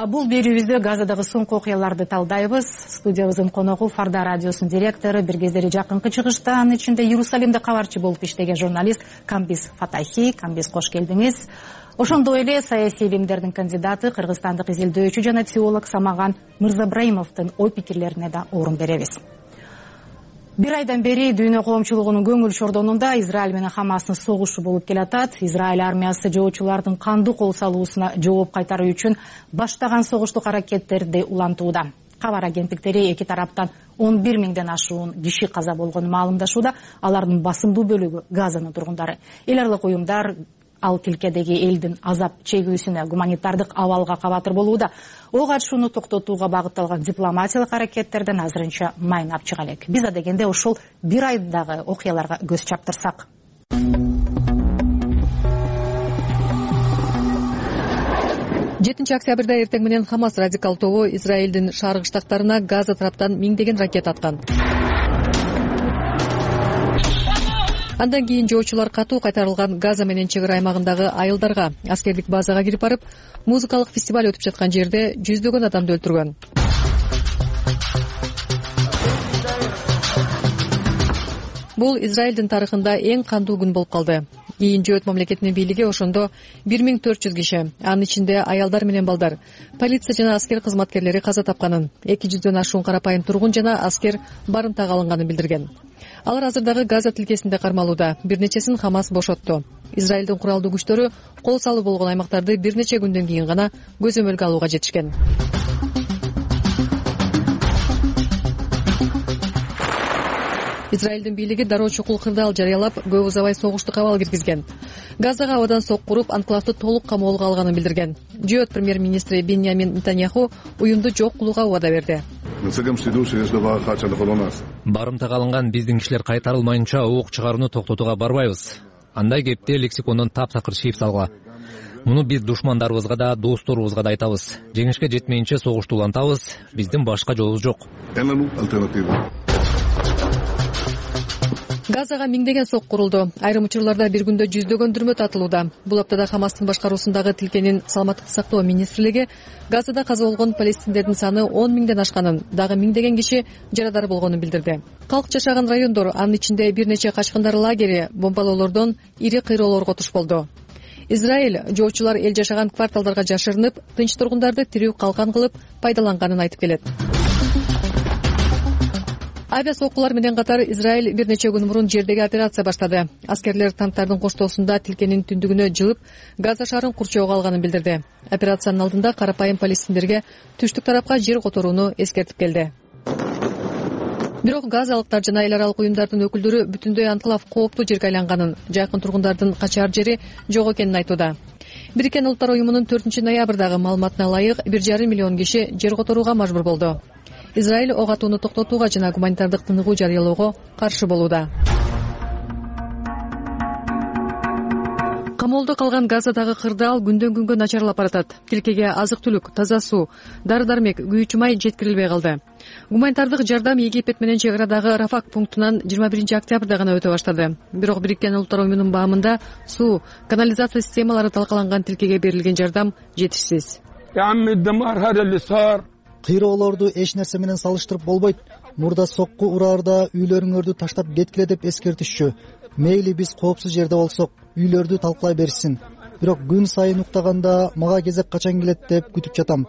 Бул берүүбүздө Газадагы соңку окуяларды талдайбыз. Студиябыздын коногу Фарда радиосунун директору, бир кездери жакынкы чыгыштан ичинде Иерусалимде кабарчы болуп иштеген журналист Камбис Фатахи. Камбис, кош келдиңиз. ошондой эле саясий илимдердин кандидаты кыргызстандык изилдөөчү жана теолог Самаган Мырзабраимовдун ой пикирлерине да орун беребиз. Бир айдан бери дүйнө коомчулугунун көңүл чордонунда Израиль менен Хамастын согушу болуп келатат. Израиль армиясы жоочулардын кандуу кол салуусуна жооп кайтаруу үчүн баштаган согуштук аракеттерди улантууда. Кабар агенттиктери эки тараптан он бир миңден ашуун киши каза болгонун маалымдашууда. Алардын басымдуу бөлүгү Газанын тургундары. Эл аралык уюмдар ал тилкедеги элдин азап чегүүсүнө, гуманитардык абалга кабатыр болууда. Ок атышууну токтотууга багытталган дипломатиялык аракеттерден азырынча майнап чыга элек. Биз адегенде ушул бир айдагы окуяларга көз чаптырсак. жетинчи октябрда эртең менен Хамас радикал тобу Израилдин шаркы штаттарына Газа тараптан миңдеген ракета аткан. Андан кийин жоочулар катуу кайтарылган Газа менен чек ара аймагындагы айылдарга, аскердик базага кирип барып, музыкалык фестиваль өтүп жаткан жерде жүздөгөн адамды өлтүргөн. Бул Израилдин тарыхында эң кандуу күн болуп калды. Кийин Жөөт мамлекетинин бийлиги ошондо бир миң төрт жүз киши, анын ичинде аялдар менен балдар, полиция жана аскер кызматкерлери каза тапканын, эки жүздөн ашуун карапайым тургун жана аскер барымтага алынганын билдирген. Алар азырдагы Газа тилкесинде кармалууда. Бир нечесин Хамас бошотту. Израилдин куралдуу күчтөрү кол салуу болгон аймактарды бир нече күндөн кийин гана көзөмөлгө алууга жетишкен. Израилдин бийлиги дароо чукул кырдаал жарыялап, көп узабай согуштук абал киргизген. Газага абадан сок куруп, анклавды толук камоолго алганын билдирген. Жөөт премьер-министри Беньямин Нетаньяху уюмду жок кылууга убада берди. Барымтага алынган биздин кишилер кайтарылмайынча ок чыгарууну токтотууга барбайбыз. Андай кепти лексикондон таптакыр чийип салгыла. Муну биз душмандарыбызга да, досторубузга да айтабыз. Жеңишке жетмейинче согушту улантабыз. Биздин башка жолубуз жок. Газага миңдеген сок курулду. Айрым учурларда бир күндө жүздөгөн дүрмө татылууда. Бул аптада Хамастын башкаруусундагы тилкенин саламаттык сактоо министрлиги Газада каза болгон палестиндердин саны он миңден ашканын, дагы миңдеген киши жарадар болгонун билдирди. Калк жашаган райондор, анын ичинде бир нече качкындар лагери бомбалоолордон ири кыйроолорго туш болду. Израиль жоочулар эл жашаган кварталдарга жашырынып, тынч тургундарды тирүү калкан кылып пайдаланганын айтып келет. Авиа соккулар менен катар Израиль бир нече күн мурун жердеги операция баштады. Аскерлер танктардын коштоосунда тилкенин түндүгүнө жылып, Газа шаарын курчоого алганын билдирди. Операциянын алдында карапайым палестиндерге түштүк тарапка жер которууну эскертип келди. Бирок газалыктар жана эл аралык уюмдардын өкүлдөрү бүтүндөй анклав кооптуу жерге айланганын, жакын тургундардын качаар жери жок экенин айтууда. Бириккен Улуттар уюмунун төртүнчү ноябрдагы маалыматына ылайык бир жарым миллион киши жер которууга мажбур болду. Израиль ок атууну токтотууга жана гуманитардык тыныгуу жарыялоого каршы болууда. Камоолдо калган Газадагы кырдаал күндөн күнгө начарлап баратат. Тилкеге азык-түлүк, таза суу, дары-дармек, күйүүчү май жеткирилбей калды. Гуманитардык жардам Египет менен чек арадагы Рафак пунктунан жыйырма биринчи октябрда гана өтө баштады. Бирок Бириккен Улуттар уюмунун баамында суу, канализация системалары талкаланган тилкеге берилген жардам жетишсиз. Кыйроолорду эч нерсе менен салыштырып болбойт. Мурда сокку ураарда үйлөрүңөрдү таштап кеткиле деп эскертишчү. Мейли биз коопсуз жерде болсок, үйлөрдү талкалай беришсин. Бирок күн сайын уктаганда мага кезек качан келет деп күтүп жатам.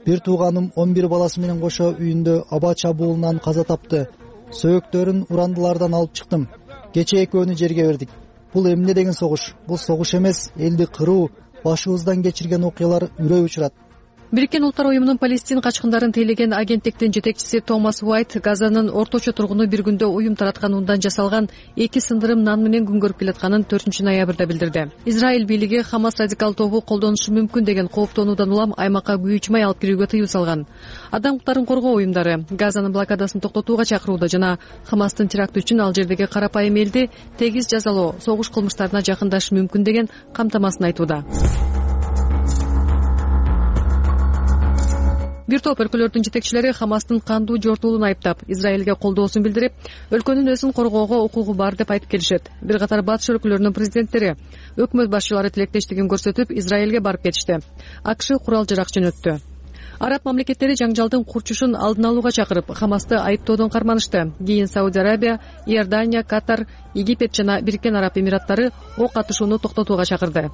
Бир тууганым он бир баласы менен кошо үйүндө аба чабуулунан каза тапты. Сөөктөрүн урандылардан алып чыктым. Кечээ экөөнү жерге бердик. Бул эмне деген согуш? Бул согуш эмес, элди кыруу, башыбыздан кечирген окуялар үрөй учурат. Бириккен Улуттар уюмунун Палестин качкындарын тейлеген агенттиктин жетекчиси Томас Уайт Газанын орточо тургуну бир күндө уюм тараткан ундан жасалган эки сындырым нан менен күн көрүп келатканын төртүнчү ноябрда билдирди. Израиль бийлиги Хамас радикал тобу колдонушу мүмкүн деген кооптонуудан улам аймакка күйүүчү май алып кирүүгө тыюу салган. Адам укуктарын коргоо уюмдары Газанын блокадасын токтотууга чакырууда жана Хамастын теракты үчүн ал жердеги карапайым элди тегиз жазалоо, согуш кылмыштарына жакындашы мүмкүн деген камтамасын айтууда. Бир топ өлкөлөрдүн жетекчилери Хамастын кандуу жортуулуун айыптап, Израилге колдоосун билдирип, өлкөнүн өзүн коргоого укугу бар деп айтып келишет. Бир катар батыш өлкөлөрүнүн президенттери, өкмөт башчылары тилектештигин көрсөтүп, Израилге барып кетишти. АКШ курал жарак жөнөттү. Араб мамлекеттери жаңжалдын курчушун алдын алууга чакырып, Хамасты айыптоодон карманышты. Кийин Сауд Арабия, Иордания, Катар, Египет жана Бириккен Араб Эмираттары ок атышууну токтотууга чакырды.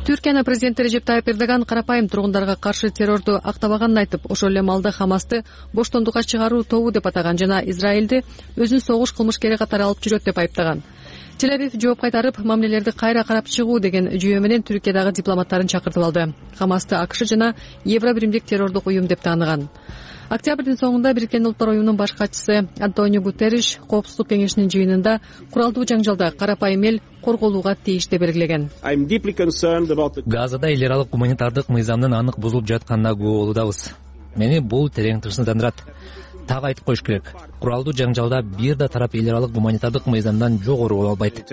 Түркиянын президенти Режеп Тайып Эрдоган карапайым тургундарга каршы террорду актабаганын айтып, ошол эле маалда Хамасты боштондукка чыгаруу тобу деп атаган жана Израилди өзүн согуш кылмышкери катары алып жүрөт деп айыптаган. Тель-Авив жооп кайтарып, мамилелерди кайра карап чыгуу деген жүйө менен Түркиядагы дипломаттарын чакыртып алды. Хамасты АКШ жана Евробиримдик террордук уюм деп тааныган. Октябрдын соңунда Бириккен Улуттар уюмунун баш катчысы Антонио Гутерриш Коопсуздук кеңешинин жыйынында куралдуу жаңжалда карапайым эл корголууга тийиш деп белгилеген. Газада эл аралык гуманитардык мыйзамдын анык бузулуп жатканына күбө болуудабыз. Мени бул терең тынчсыздандырат. Так айтып коюш керек. Куралдуу жаңжалда бир да тарап эл аралык гуманитардык мыйзамдан жогору боло албайт.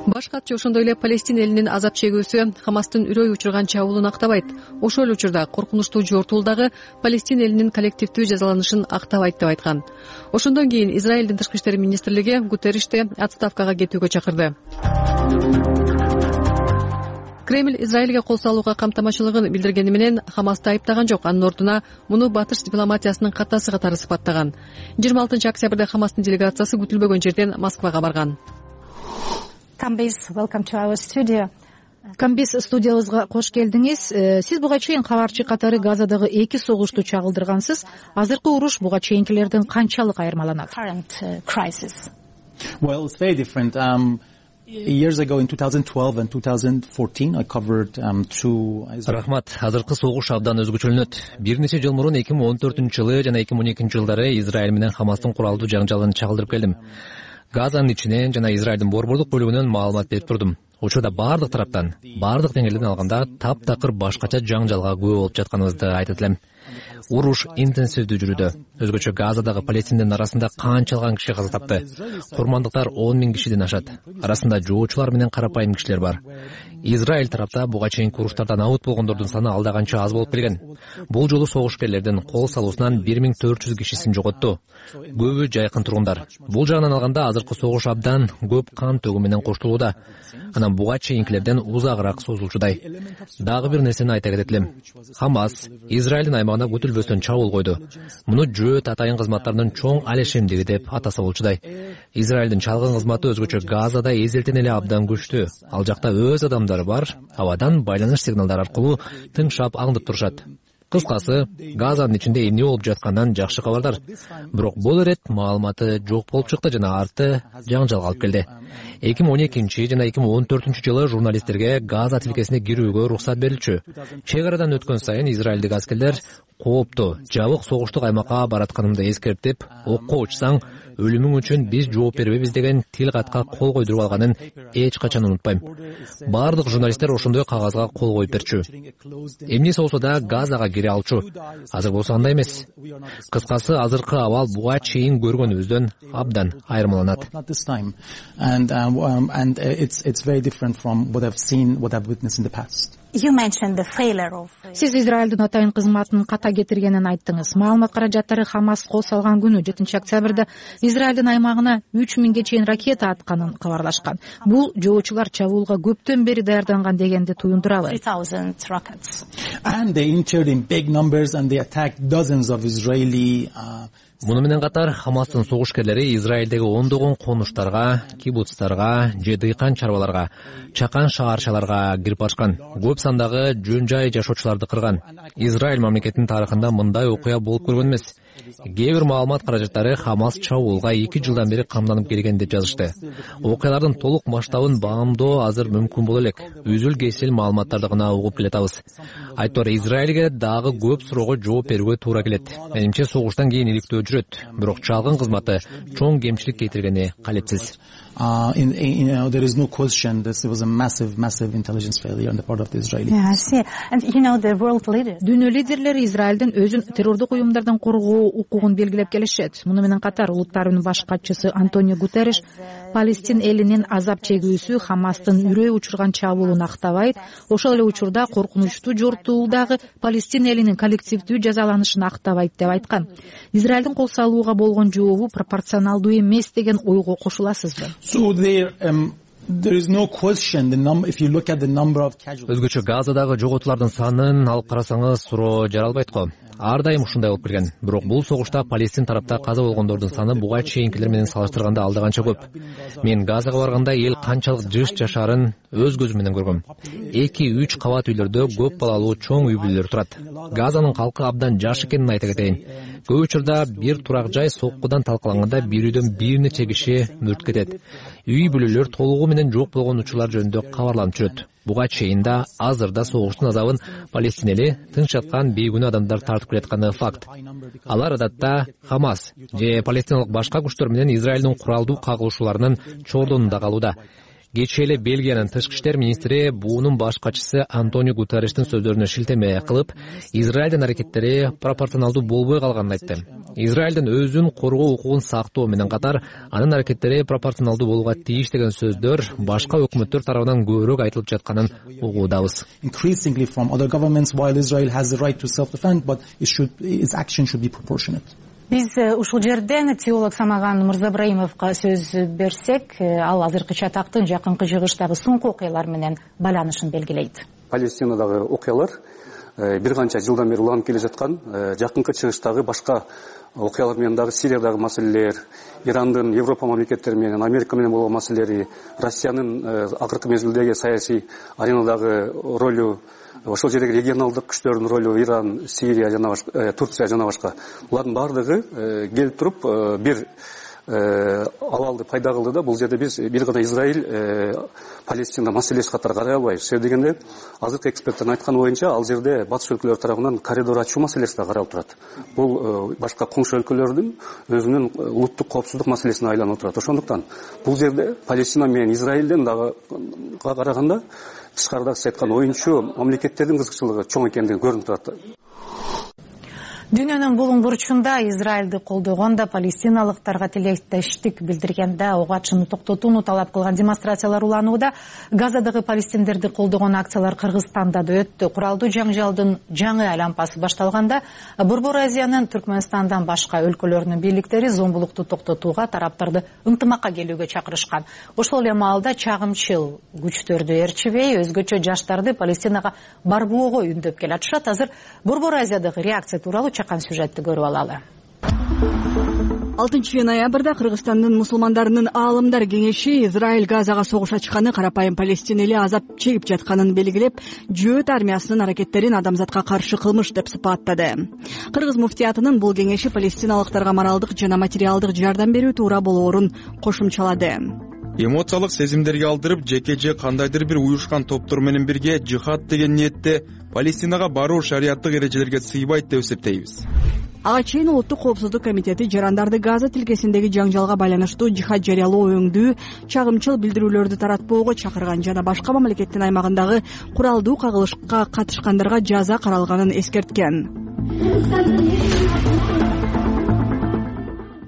Баш катчы ошондой эле Палестина элинин азап чегүүсү Хамастын үрөй учурган чабуулун актабайт. Ошол эле учурда коркунучтуу жортуулдагы Палестина элинин коллективдүү жазаланышын актабайт деп айткан. Ошондон кийин Израилдин тышкы иштер министрлиги Гутерришти отставкага кетүүгө чакырды. Кремль Израилге кол салууга камтамашылыгын билдиргени менен Хамасты айыптаган жок. Анын ордуна муну батыш дипломатиясынын катасы катары сыпаттаган. жыйырма алтынчы октябрда Хамастын делегациясы күтүлбөгөн жерден Москвага барган. Камбиз, welcome to our studio. Камбиз, студиябызга кош келдиңиз. Сиз буга чейин кабарчы катары Газадагы эки согушту чагылдыргансыз. Азыркы уруш буга чейинкилерден канчалык айырмаланат? Current crisis. Well, it's very different. Um, years ago in twenty twelve and twenty fourteen I covered um, two. Рахмат. Азыркы согуш абдан өзгөчөлөнөт. Бир нече жыл мурун эки миң он төртүнчү жылы жана эки миң он экинчи жылдары Израиль менен Хамастын куралдуу жаңжалын чагылдырып келдим. Газанын ичинен жана Израилдин борбордук бөлүгүнөн маалымат берип турдум. Учурда бардык тараптан, бардык деңгээлден алганда таптакыр башкача жаңжалга күбө болуп жатканыбызды айтат элем. Уруш интенсивдүү жүрүүдө. Өзгөчө Газадагы палестиндин арасында канчалган киши каза тапты. Курмандыктар он миң кишиден ашат. Арасында жоочулар менен карапайым кишилер бар. Израиль тарапта буга чейинки уруштардан абут болгондордун саны алда канча аз болуп келген. Бул жолу согушкерлердин кол салуусунан бир миң төрт жүз кишисин жоготту. Көбү жайкын тургундар. Бул жагынан алганда азыркы согуш абдан көп кан төгүү менен коштолууда. Анан буга чейинкилерден узагыраак созулчудай. Дагы бир нерсени айта кетет элем. Хамас Израилдин аймагына күтүлбөстөн чабуул койду. Муну жөөт атайын кызматтарынын чоң алешемдиги деп атаса болчудай. Израилдин чалгын кызматы өзгөчө Газада эзелтен эле абдан күчтүү. Ал жакта өз адамдары бар, абадан байланыш сигналдары аркылуу тыңшап аңдып турушат. Кыскасы, Газанын ичинде эмне болуп жатканынан жакшы кабардар. Бирок бул ирет маалыматы жок болуп чыкты жана арты жаңжалга алып келди. эки миң он экинчи жана эки миң он төртүнчү жылы журналисттерге Газа тилкесине кирүүгө уруксат берилчү. Чек арадан өткөн сайын израилдик аскерлер кооптуу, жабык согуштук аймакка баратканымды эскертип, окко учсаң өлүмүң үчүн биз жооп бербейбиз деген тил катка кол койдуруп алганын эч качан унутпайм. Бардык журналисттер ошондой кагазга кол коюп берчү. Эмнеси болсо да Газага кире алчу. Азыр болсо андай эмес. Кыскасы, азыркы абал буга чейин көргөнүбүздөн абдан айырмаланат. And um, and it's it's very different from what I've seen, what I've witnessed in the past. Сиз Израилдин атайын кызматынын ката кетиргенин айттыңыз. Маалымат каражаттары Хамас кол салган күнү жетинчи октябрда Израилдин аймагына үч миңге чейин ракета атканын кабарлашкан. Бул жоочулар чабуулга көптөн бери даярданган дегенди туюндурабы? And they entered in big numbers and they attacked dozens of Israeli uh, Муну менен катар Хамастын согушкерлери Израилдеги ондогон конуштарга, кибуцтарга, же дыйкан чарбаларга, чакан шаарчаларга кирип барышкан. Көп сандагы жөн жай жашоочуларды кырган. Израиль мамлекетинин тарыхында мындай окуя болуп көргөн эмес. Кээ бир маалымат каражаттары Хамас чабуулга эки жылдан бери камданып келген деп жазышты. Окуялардын толук масштабын баамдоо азыр мүмкүн боло элек. Үзүл кесил маалыматтарды гана угуп келатабыз. Айтор Израилге дагы көп суроого жооп берүүгө туура келет. Менимче согуштан кийин иликтөө жүрөт. Бирок чалгын кызматы чоң кемчилик кетиргени калепсиз. Uh, in, in, you know, there is no question this was a massive, massive intelligence failure on the part of the Israelis. Yeah, I see. And you know, the world leaders. Дүйнө лидерлери Израилдин өзүн террордук уюмдардан коргоо укугун белгилеп келишет. Муну менен катар Улуттар уюмунун баш катчысы Антонио Гутерриш Палестин элинин азап чегүүсү Хамастын үрөй учурган чабуулун актабайт. Ошол эле учурда коркунучтуу жортуулдагы Палестин элинин коллективдүү жазаланышын актабайт деп айткан. Израилдин кол салууга болгон жообу пропорционалдуу эмес деген ойго кошуласызбы? So there, um, Өзгөчө Газадагы жоготуулардын санын алып карасаңыз суроо жаралбайт го. Ар дайым ушундай болуп келген. Бирок бул согушта Палестин тарапта каза болгондордун саны буга чейинкилер менен салыштырганда алда канча көп. Мен Газага барганда эл канчалык жыш жашаарын өз көзүм менен көргөм. эки үч кабат үйлөрдө көп балалуу чоң үй бүлөлөр турат. Газанын калкы абдан жаш экенин айта кетейин. Көп учурда бир турак жай соккудан талкаланганда бир үйдөн бир нече киши мүрт кетет. Үй бүлөлөр толугу менен жок болгон учурлар жөнүндө кабарланып жүрөт. Буга чейин да азыр да согуштун азабын Палестин эли тынч жаткан бейгүнөө адамдар тартып келатканы факт. Алар адатта Хамас же палестиналык башка күчтөр менен Израилдин куралдуу кагылышууларынын чордонунда калууда. Кечээ эле Бельгиянын тышкы иштер министри буунун баш катчысы Антонио Гутерриштин сөздөрүнө шилтеме кылып, Израилдин аракеттери пропорционалдуу болбой калганын айтты. Израилдин өзүн коргоо укугун сактоо менен катар анын аракеттери пропорционалдуу болууга тийиш деген сөздөр башка өкмөттөр тарабынан көбүрөөк айтылып жатканын угуудабыз. Биз ушул жерден теолог Самаган Мырзабраимовго сөз берсек, ал азыркы чатактын жакынкы жыгыштагы соңку окуялар менен байланышын белгилейт. Палестинадагы окуялар бир канча жылдан бери уланып келе жаткан, жакынкы чыгыштагы башка окуялар менен дагы Сириядагы маселелер, Ирандын Европа мамлекеттери менен, Америка менен болгон маселелери, Россиянын акыркы мезгилдеги саясий аренадагы ролу, ошол жердеги регионалдык күчтөрдүн ролу, Иран, Сирия жана башка, Турция жана башка. Булардын баардыгы келип туруп бир абалды пайда кылды да, бул жерде биз бир гана Израиль Палестина маселеси катары карай албайбыз. Себеби дегенде азыркы эксперттердин айтканы боюнча ал жерде батыш өлкөлөр тарабынан коридор ачуу маселеси да каралып турат. Бул башка коңшу өлкөлөрдүн өзүнүн улуттук коопсуздук маселесине айланып турат. Ошондуктан бул жерде Палестина менен Израилден дагы караганда тышкарыдагы сиз айткан оюнчу мамлекеттердин кызыкчылыгы чоң экендиги көрүнүп турат. Дүйнөнүн булуң бурчунда Израилди колдогондо палестиналыктарга тилектештик билдиргенде ого ачууну токтотууну талап кылган демонстрациялар уланууда. Газадагы палестиндерди колдогон акциялар Кыргызстанда да өттү. Куралдуу жаңжалдын жаңы айлампасы башталганда Борбор Азиянын Түркмөнстандан башка өлкөлөрүнүн бийликтери зомбулукту токтотууга, тараптарды ынтымакка келүүгө чакырышкан. Ошол эле маалда чагымчыл күчтөрдү ээрчибей, өзгөчө жаштарды Палестинага барбоого үндөп келатышат. Азыр Борбор Азиядагы реакция тууралуу чакан сюжетти көрүп алалы. алтынчы ноябрда Кыргызстандын мусулмандарынын аалымдар кеңеши Израиль Газага согуш ачканы, карапайым палестин эли азап чегип жатканын белгилеп, жөөт армиясынын аракеттерин адамзатка каршы кылмыш деп сыпаттады. Кыргыз муфтиятынын бул кеңеши палестиналыктарга моралдык жана материалдык жардам берүү туура болоорун кошумчалады. Эмоциялык сезимдерге алдырып, жеке же кандайдыр бир уюшкан топтор менен бирге жихад деген ниетте Палестинага баруу шариаттык эрежелерге сыйбайт деп эсептейбиз. Ага чейин Улуттук коопсуздук комитети жарандарды Газа тилкесиндеги жаңжалга байланыштуу жихад жарыялоо өңдүү, чагымчыл билдирүүлөрдү таратпоого чакырган жана башка мамлекеттин аймагындагы куралдуу кагылышка катышкандарга жаза каралганын эскерткен.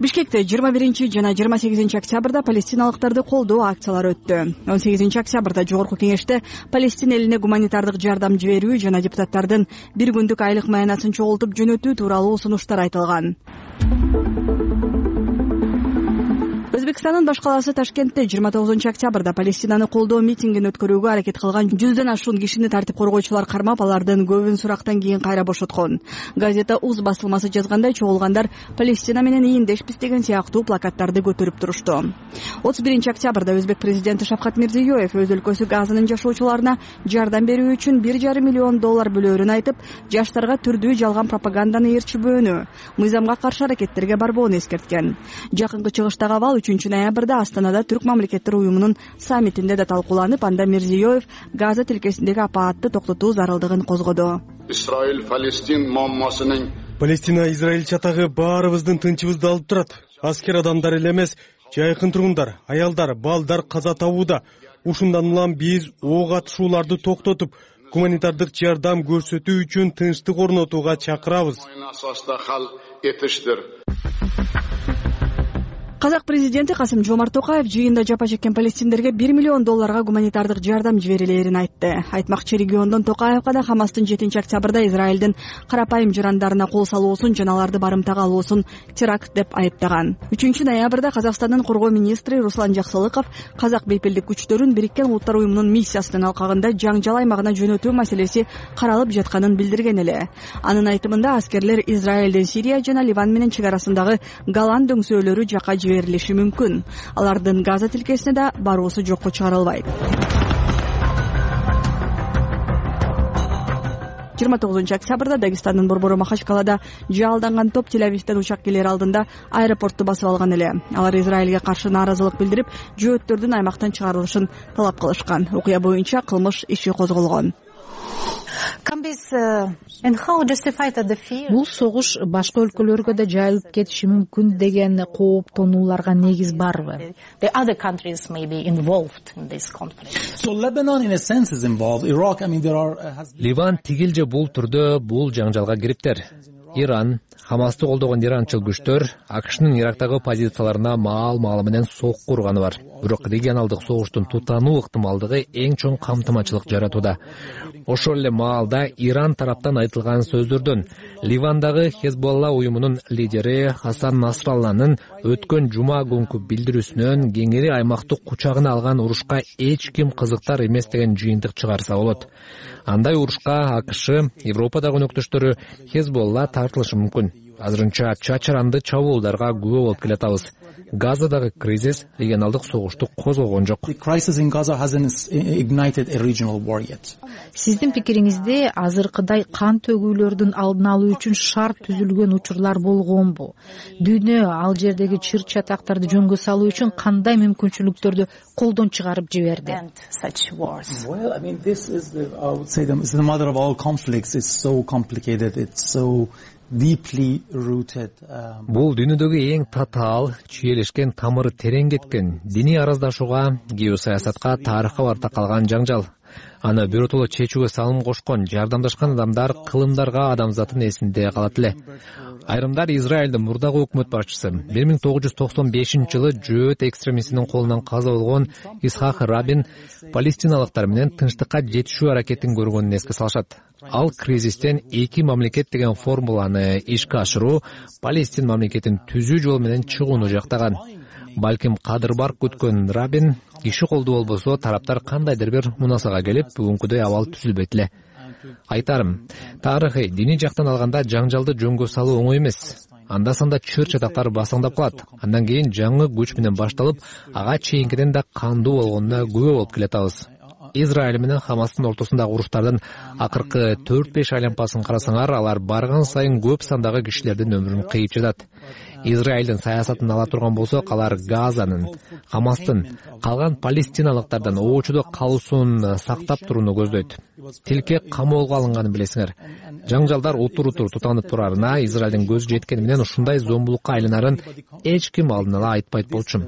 Бишкекте жыйырма биринчи жана жыйырма сегизинчи октябрда палестиналыктарды колдоо акциялары өттү. он сегизинчи октябрда Жогорку кеңеште Палестин элине гуманитардык жардам жиберүү жана депутаттардын бир күндүк айлык маянасын чогултуп жөнөтүү тууралуу сунуштар айтылган. Өзбекстандын баш калаасы Ташкентте жыйырма тогузунчу октябрда Палестинаны колдоо митингин өткөрүүгө аракет кылган жүздөн ашуун кишини тартип коргоочулар кармап, алардын көбүн сурактан кийин кайра бошоткон. Газета Уз басылмасы жазгандай, чогулгандар Палестина менен ийиндешпиз деген сыяктуу плакаттарды көтөрүп турушту. отуз биринчи октябрда өзбек президенти Шавкат Мирзиёев өз өлкөсү Газанын жашоочуларына жардам берүү үчүн бир жарым миллион доллар бөлөөрүн айтып, жаштарга түрдүү жалган пропаганданы ээрчибөөнү, мыйзамга каршы аракеттерге барбоону эскерткен. Жакынкы чыгыштагы абал үчүнчү ноябрда Астанада Түрк мамлекеттер уюмунун саммитинде да талкууланып, анда Мирзиёев Газа тилкесиндеги апаатты токтотуу зарылдыгын козгоду. Израиль-Палестин маамасынын Палестина Израиль чатагы баарыбыздын тынчыбызды алып турат. Аскер адамдар эле эмес, жайкын тургундар, аялдар, балдар каза табууда. Ушундан улам биз ок атышууларды токтотуп, гуманитардык жардам көрсөтүү үчүн тынчтык орнотууга чакырабыз. Казак президенти Касым Жомарт Токаев жыйында жапа чеккен палестиндерге бир миллион долларга гуманитардык жардам жиберилерин айтты. Айтмакчы региондон Токаевга да Хамастын жетинчи октябрда Израилдин карапайым жарандарына кол салуусун жана аларды барымтага алуусун теракт деп айыптаган. үчүнчү ноябрда Казакстандын коргоо министри Руслан Жаксылыков казак бейпилдик күчтөрүн Бириккен Улуттар уюмунун миссиясынын алкагында жаңжал аймагына жөнөтүү маселеси каралып жатканын билдирген эле. Анын айтымында аскерлер Израилдин Сирия жана Ливан менен чек арасындагы Голланд дөңсөөлөрү жака жиберилиши мүмкүн. Алардын Газа тилкесине да баруусу жокко чыгарылбайт. жыйырма тогузунчу октябрда Дагестандын борбору Махачкалада жаалданган топ Тель-Авивден учак келер алдында аэропортту басып алган эле. Алар Израилге каршы нааразылык билдирип, жөөттөрдүн аймактан чыгарылышын талап кылышкан. Окуя боюнча кылмыш иши козголгон. Бул согуш башка өлкөлөргө да жайылып кетиши мүмкүн деген кооптонууларга негиз барбы? Ливан тигил же бул түрдө бул жаңжалга кириптир. Иран, Хамасты колдогон иранчыл күчтөр АКШнын Ирактагы позицияларына маал-маалы менен сокку урганы бар. Бирок регионалдык согуштун тутануу ыктымалдыгы эң чоң камтымачылык жаратууда. Ошол эле маалда Иран тараптан айтылган сөздөрдөн Ливандагы Хезболла уюмунун лидери Хасан Насралланын өткөн жума күнкү билдирүүсүнөн кеңири аймакты кучагына алган урушка эч ким кызыктар эмес деген жыйынтык чыгарса болот. Андай урушка АКШ, Европадагы өнөктөштөрү Хезболла тартылышы мүмкүн. Азырынча чачаранды чабуулдарга күбө болуп келатабыз. Газадагы кризис регионалдык согушту козгогон жок. Сиздин пикириңизде азыркыдай кан төгүүлөрдүн алдын алуу үчүн шарт түзүлгөн учурлар болгонбу? Дүйнө ал жердеги чыр чатактарды жөнгө салуу үчүн кандай мүмкүнчүлүктөрдү колдон чыгарып жиберди? Бул дүйнөдөгү эң татаал, чүйелешкен, тамыры терең кеткен, диний араздашууга, геосаясатка, тарыхка барта калган жаңжал. Аны биротоло чечүүгө салым кошкон, жардамдашкан адамдар кылымдарга адамзаттын эсинде калат эле. Айрымдар Израилдин мурдагы өкмөт башчысы бир миң тогуз жүз токсон бешинчи жылы жөөт экстремистинин колунан каза болгон Исхак Рабин палестиналыктар менен тынчтыкка жетишүү аракетин көргөнүн эске салышат. Ал кризистен эки мамлекет деген формуланы ишке ашыруу, Палестин мамлекетин түзүү жол менен чыгууну жактаган. Балким кадыр бар күткөн Рабин иши колдуу болбосо тараптар кандайдыр бир мунасага келип, бүгүнкүдөй абал түзүлбөйт эле. Айтарым, тарыхый, диний жактан алганда жаңжалды жөнгө салуу оңой эмес. Анда-санда чыр чатактар басаңдап калат. Андан кийин жаңы күч менен башталып, ага чейинкиден да кандуу болгонуна күбө болуп келатабыз. Израиль менен Хамастын ортосундагы уруштардын акыркы төрт беш айлампасын карасаңар, алар барган сайын көп сандагы кишилердин өмүрүн кыйып жатат. Израилдин саясатын ала турган болсок, алар Газанын, Хамастын, калган палестиналыктардан оочудо калуусун сактап турууну көздөйт. Тилке камоолго алынганын билесиңер. Жаңжалдар утур-утур тутанып турарына Израилдин көзү жеткени менен ушундай зомбулукка айланарын эч ким алдын ала айтпайт болчу.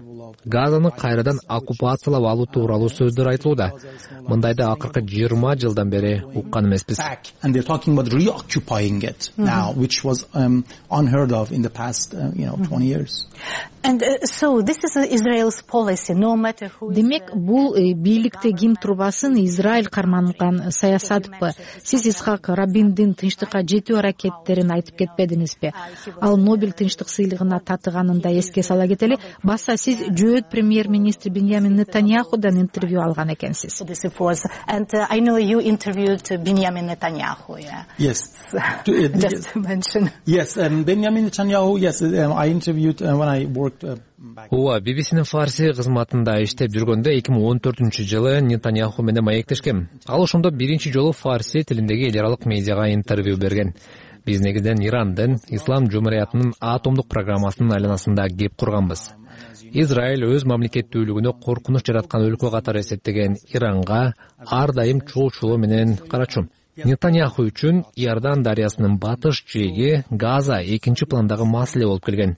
Газаны кайрадан оккупациялап алуу тууралуу сөздөр айтылууда. Мындайды акыркы жыйырма жылдан бери уккан эмеспиз. Демек, бул бийликте ким турбасын Израиль карманган саясатпы? Сиз Исхак Рабиндин тынчтыкка жетүү аракеттерин айтып кетпедиңизби? Ал Нобель тынчтык сыйлыгына татыганын да эске сала кетели. Баса сиз жөөт премьер-министр Беньямин Нетаньяхудан интервью алган экенсиз. And uh, I know you interviewed Benjamin Netanyahu. Yeah. Yes. Just to mention. Yes, um, Benjamin Netanyahu. Yes, um, I interviewed uh, when I worked. Uh, Ооба, би би синин фарси кызматында иштеп жүргөндө эки миң он төртүнчү жылы Нетаньяху менен маектешкем. Ал ошондо биринчи жолу фарси тилиндеги эл аралык медиага интервью берген. Биз негизинен Ирандын Ислам жумуриятынын атомдук программасынын айланасында кеп курганбыз. Израиль өз мамлекеттүүлүгүнө коркунуч жараткан өлкө катары эсептеген Иранга ар дайым чоочулоо менен карачу. Нетаньяху үчүн Иордан дарыясынын батыш жээги Газа экинчи пландагы маселе болуп келген.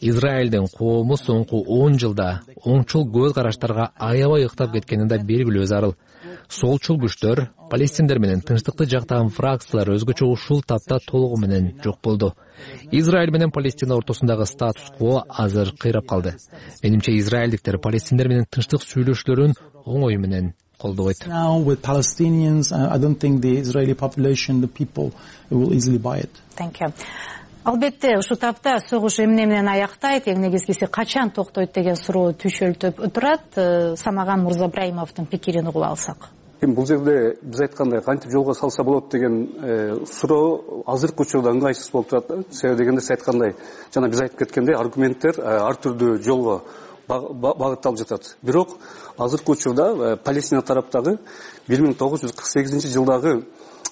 Израилдин коому соңку он жылда оңчул көз караштарга аябай ыктап кеткени да белгилүү зарыл. Солчул күчтөр, палестиндер менен тынчтыкты жактаган фракциялар өзгөчө ушул тапта толугу менен жок болду. Израиль менен Палестина ортосундагы статус-кво азыр кыйрап калды. Менимче израилдиктер палестиндер менен тынчтык сүйлөшүүлөрүн оңой менен колдобойт. Now with Palestinians, I don't think the Israeli population, the people will easily buy it. Thank you. Албетте, ушул тапта согуш эмне менен аяктайт, эң негизгиси качан токтойт деген суроо түшөлтүп турат. Самаган Мурзабраимовдун пикирин угуп алсак. Бул жерде биз айткандай кантип жолго салса болот деген суроо азыркы учурда ыңгайсыз болуп турат. Себеби дегенде сиз айткандай, жана биз айтып кеткендей аргументтер ар түрдүү жолго багытталып жатат. Бирок азыркы учурда Палестина тараптагы бир миң тогуз жүз кырк сегизинчи жылдагы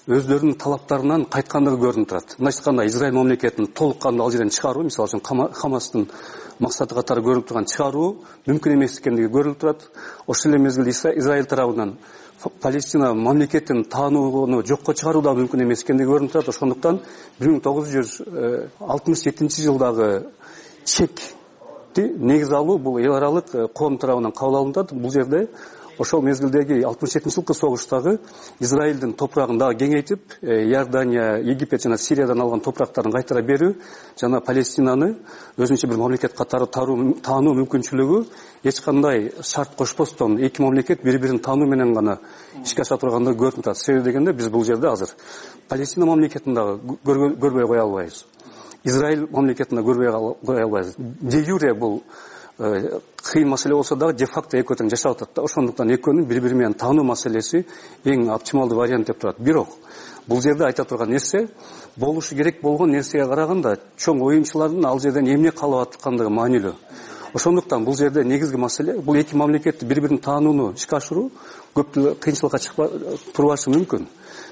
өздөрүнүн талаптарынан кайткандыгы көрүнүп турат. Мындайча айтканда Израиль мамлекетин толук кандуу ал жерден чыгаруу, мисалы үчүн Хамастын максаты катары көрүнүп турган чыгаруу мүмкүн эмес экендиги көрүлүп турат. Ошол эле мезгилде Израиль тарабынан Палестина мамлекетин таанууну жокко чыгаруу да мүмкүн эмес экендиги көрүнүп турат. Ошондуктан бир миң тогуз жүз алтымыш жетинчи жылдагы чекти негиз алуу бул эл аралык коом тарабынан кабыл алынат. Бул жерде ошол мезгилдеги алтымыш жетинчи жылкы согуштагы Израилдин топурагын дагы кеңейтип, Иордания, Египет жана Сириядан алган топурактарын кайтара берүү жана Палестинаны өзүнчө бир мамлекет катары таануу мүмкүнчүлүгү эч кандай шарт кошпостон эки мамлекет бири-бирин таануу менен гана ишке аша тургандыгы көрүнүп турат. Себеби дегенде биз бул жерде азыр Палестина мамлекетин дагы көрбөй кое албайбыз. Израиль мамлекетин дагы көрбөй кое албайбыз. Де юре бул кыйын маселе болсо дагы де факто экөө тең жашап атат да. Ошондуктан экөөнүн бири-бири менен таануу маселеси эң оптималдуу вариант деп турат. Бирок бул жерде айта турган нерсе болушу керек болгон нерсеге караганда чоң оюнчулардын ал жерден эмне калып аткандыгы маанилүү. Ошондуктан бул жерде негизги маселе бул эки мамлекетти бири-бирин таанууну ишке ашыруу көптү кыйынчылыкка турбашы мүмкүн.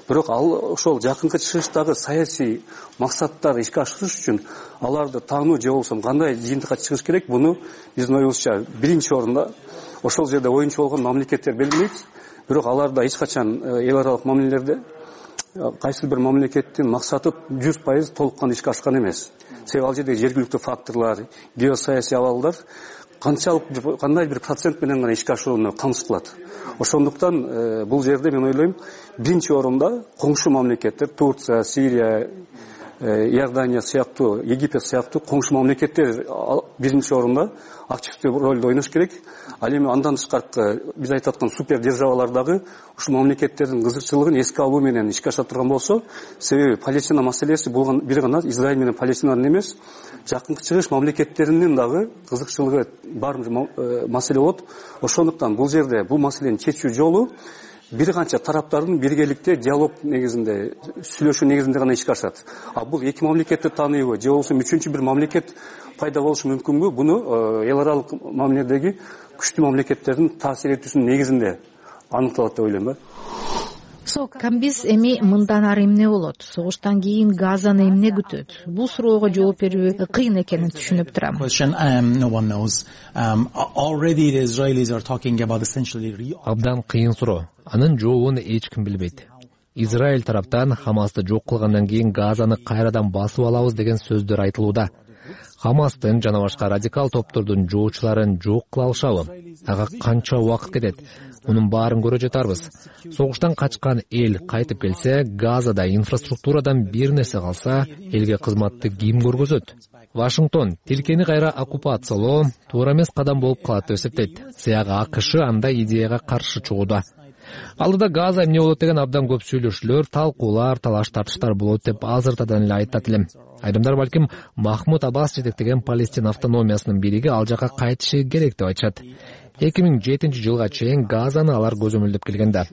Бирок ал ошол жакынкы чыгыштагы саясий максаттарды ишке ашырыш үчүн аларды таануу же болбосо кандай жыйынтыкка чыгыш керек, буну биздин оюбузча биринчи орунда ошол жерде оюнчу болгон мамлекеттер белгилейт. Бирок аларда эч качан эл аралык мамилелерде кайсы бир мамлекеттин максаты жүз пайыз толук кандуу ишке ашкан эмес. Себеби ал жердеги жергиликтүү факторлор, геосаясий абалдар канчалык кандай бир процент менен гана ишке ашууну камсыз кылат. Ошондуктан бул жерде мен ойлойм биринчи орунда коңшу мамлекеттер Турция, Сирия, Иордания сыяктуу, Египет сыяктуу коңшу мамлекеттер биринчи орунда активдүү ролду ойнош керек. Ал эми андан тышкары биз айтып аткан супер державалар дагы ушул мамлекеттердин кызыкчылыгын эске алуу менен ишке аша турган болсо, себеби Палестина маселеси бул бир гана Израиль менен Палестинанын эмес, жакынкы чыгыш мамлекеттеринин дагы кызыкчылыгы бар маселе болот. Ошондуктан бул жерде бул маселени чечүү жолу бир канча тараптардын биргеликте диалог негизинде, сүйлөшүү негизинде гана ишке ашат. А бул эки мамлекетти тааныйбы же болбосо үчүнчү бир мамлекет пайда болушу мүмкүнбү? Буну эл аралык мамиледеги күчтүү мамлекеттердин таасир этүүсүнүн негизинде аныкталат деп ойлойм. So, Камбиз эми мындан ары эмне болот? Согуштан кийин Газаны эмне күтөт? Бул суроого жооп берүү кыйын экенин түшүнүп турам. Абдан кыйын суроо. Анын жообун эч ким билбейт. Израиль тараптан Хамасты жок кылгандан кийин Газаны кайрадан басып алабыз деген сөздөр айтылууда. Хамастын жана башка радикал топтордун жоочуларын жок кыла алышабы? Ага канча убакыт кетет? Мунун баарын көрө жатарбыз. Согуштан качкан эл кайтып келсе, Газада инфраструктурадан бир нерсе калса, элге кызматты ким көргөзөт? Вашингтон тилкени кайра оккупациялоо туура эмес кадам болуп калат деп эсептейт. Сыягы АКШ андай идеяга каршы чыгууда. Алдыда Газа эмне болот деген абдан көп сүйлөшүүлөр, талкуулар, талаш тартыштар болот деп азыртадан эле айтат элем. Айрымдар балким Махмуд Аббас жетектеген Палестина автономиясынын бириги ал жака кайтышы керек деп айтышат. эки миң жетинчи жылга чейин Газаны алар көзөмөлдөп келген да.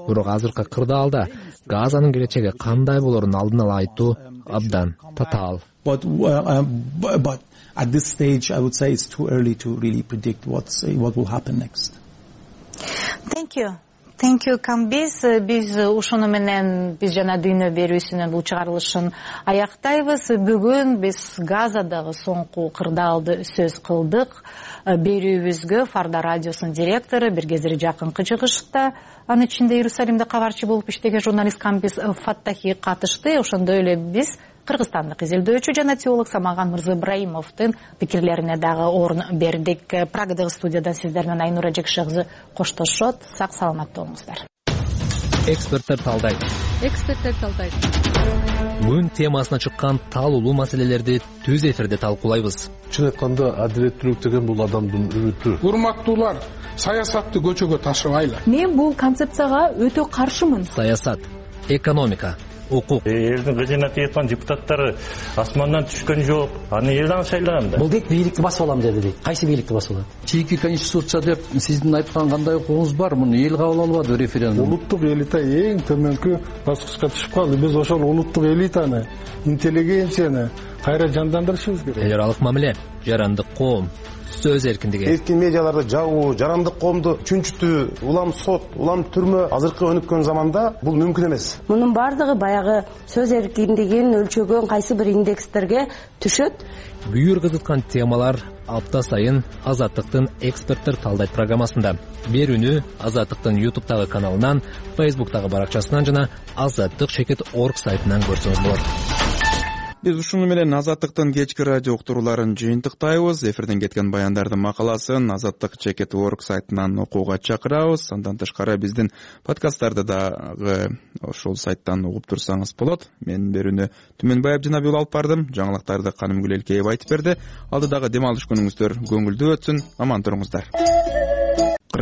Бирок азыркы кырдаалда Газанын келечеги кандай болорун алдын ала айтуу абдан татаал. But uh, but at this stage I would say it's too early to really predict what's what will happen next. Thank you. Thank you, Камбиз. Биз ушуну менен биз жана дүйнө берүүсүнүн бул чыгарылышын аяктайбыз. Бүгүн биз Газадагы соңку кырдаалды сөз кылдык. Берүүбүзгө Фарда радиосунун директору, бир кездери жакынкы чыгышта анын ичинде Иерусалимде кабарчы болуп иштеген журналист Камбиз Фаттахи катышты. Ошондой эле биз кыргызстандык изилдөөчү жана теолог Самаган Мырзыбраимовдун пикирлерине дагы орун бердик. Прагадагы студиядан сиздер менен Айнура Жекши кызы коштошот. Сак саламатта болуңуздар. Эксперттер талдайт. Эксперттер талдайт. Күн темасына чыккан талуулуу маселелерди түз эфирде талкуулайбыз. Чын айтканда адилеттүүлүк деген бул адамдын үмүтү. Урматтуулар, саясатты көчөгө ташыбайлы. Мен бул концепцияга өтө каршымын. Саясат, экономика, укук. Элдин кызмат эткан депутаттары асмандан түшкөн жок. Аны элден шайлаган да. Бул дейт бийликти басып алам деди дейт. Кайсы бийликти басып алат? Чийки конституция деп сиздин айткан кандай укугуңуз бар? Муну эл кабыл албады референдум. Улуттук элита эң төмөнкү баскычка түшүп калды. Биз ошол улуттук элитаны, интеллигенцияны кайра жандандырышыбыз керек. Эл аралык мамиле, жарандык коом, сөз эркиндиги. Эркин медиаларды жабуу, жарандык коомду чүнчүтүү, улам сот, улам түрмө азыркы өнүккөн заманда бул мүмкүн эмес. Мунун бардыгы баягы сөз эркиндигин өлчөгөн кайсы бир индекстерге түшөт. Бүйүр кызыткан темалар апта сайын Азаттыктын эксперттер талдайт программасында. Берүүнү Азаттыктын ютубтагы каналынан, фейсбуктагы баракчасынан жана азаттык чекит точка орг сайтынан көрсөңүз болот. Биз ушуну менен Азаттыктын кечки радио уктурууларын жыйынтыктайбыз. Эфирден кеткен баяндардын макаласын азаттык чекит точка орг сайтынан окууга чакырабыз. Андан тышкары биздин подкасттарды дагы ошол сайттан угуп турсаңыз болот. Мен берүүнү Түмөнбай Абдинабиул алып бардым. Жаңылыктарды Канымгүл Элкеева айтып берди. Алдыдагы дем алыш күнүңүздөр көңүлдүү өтсүн. Аман туруңуздар.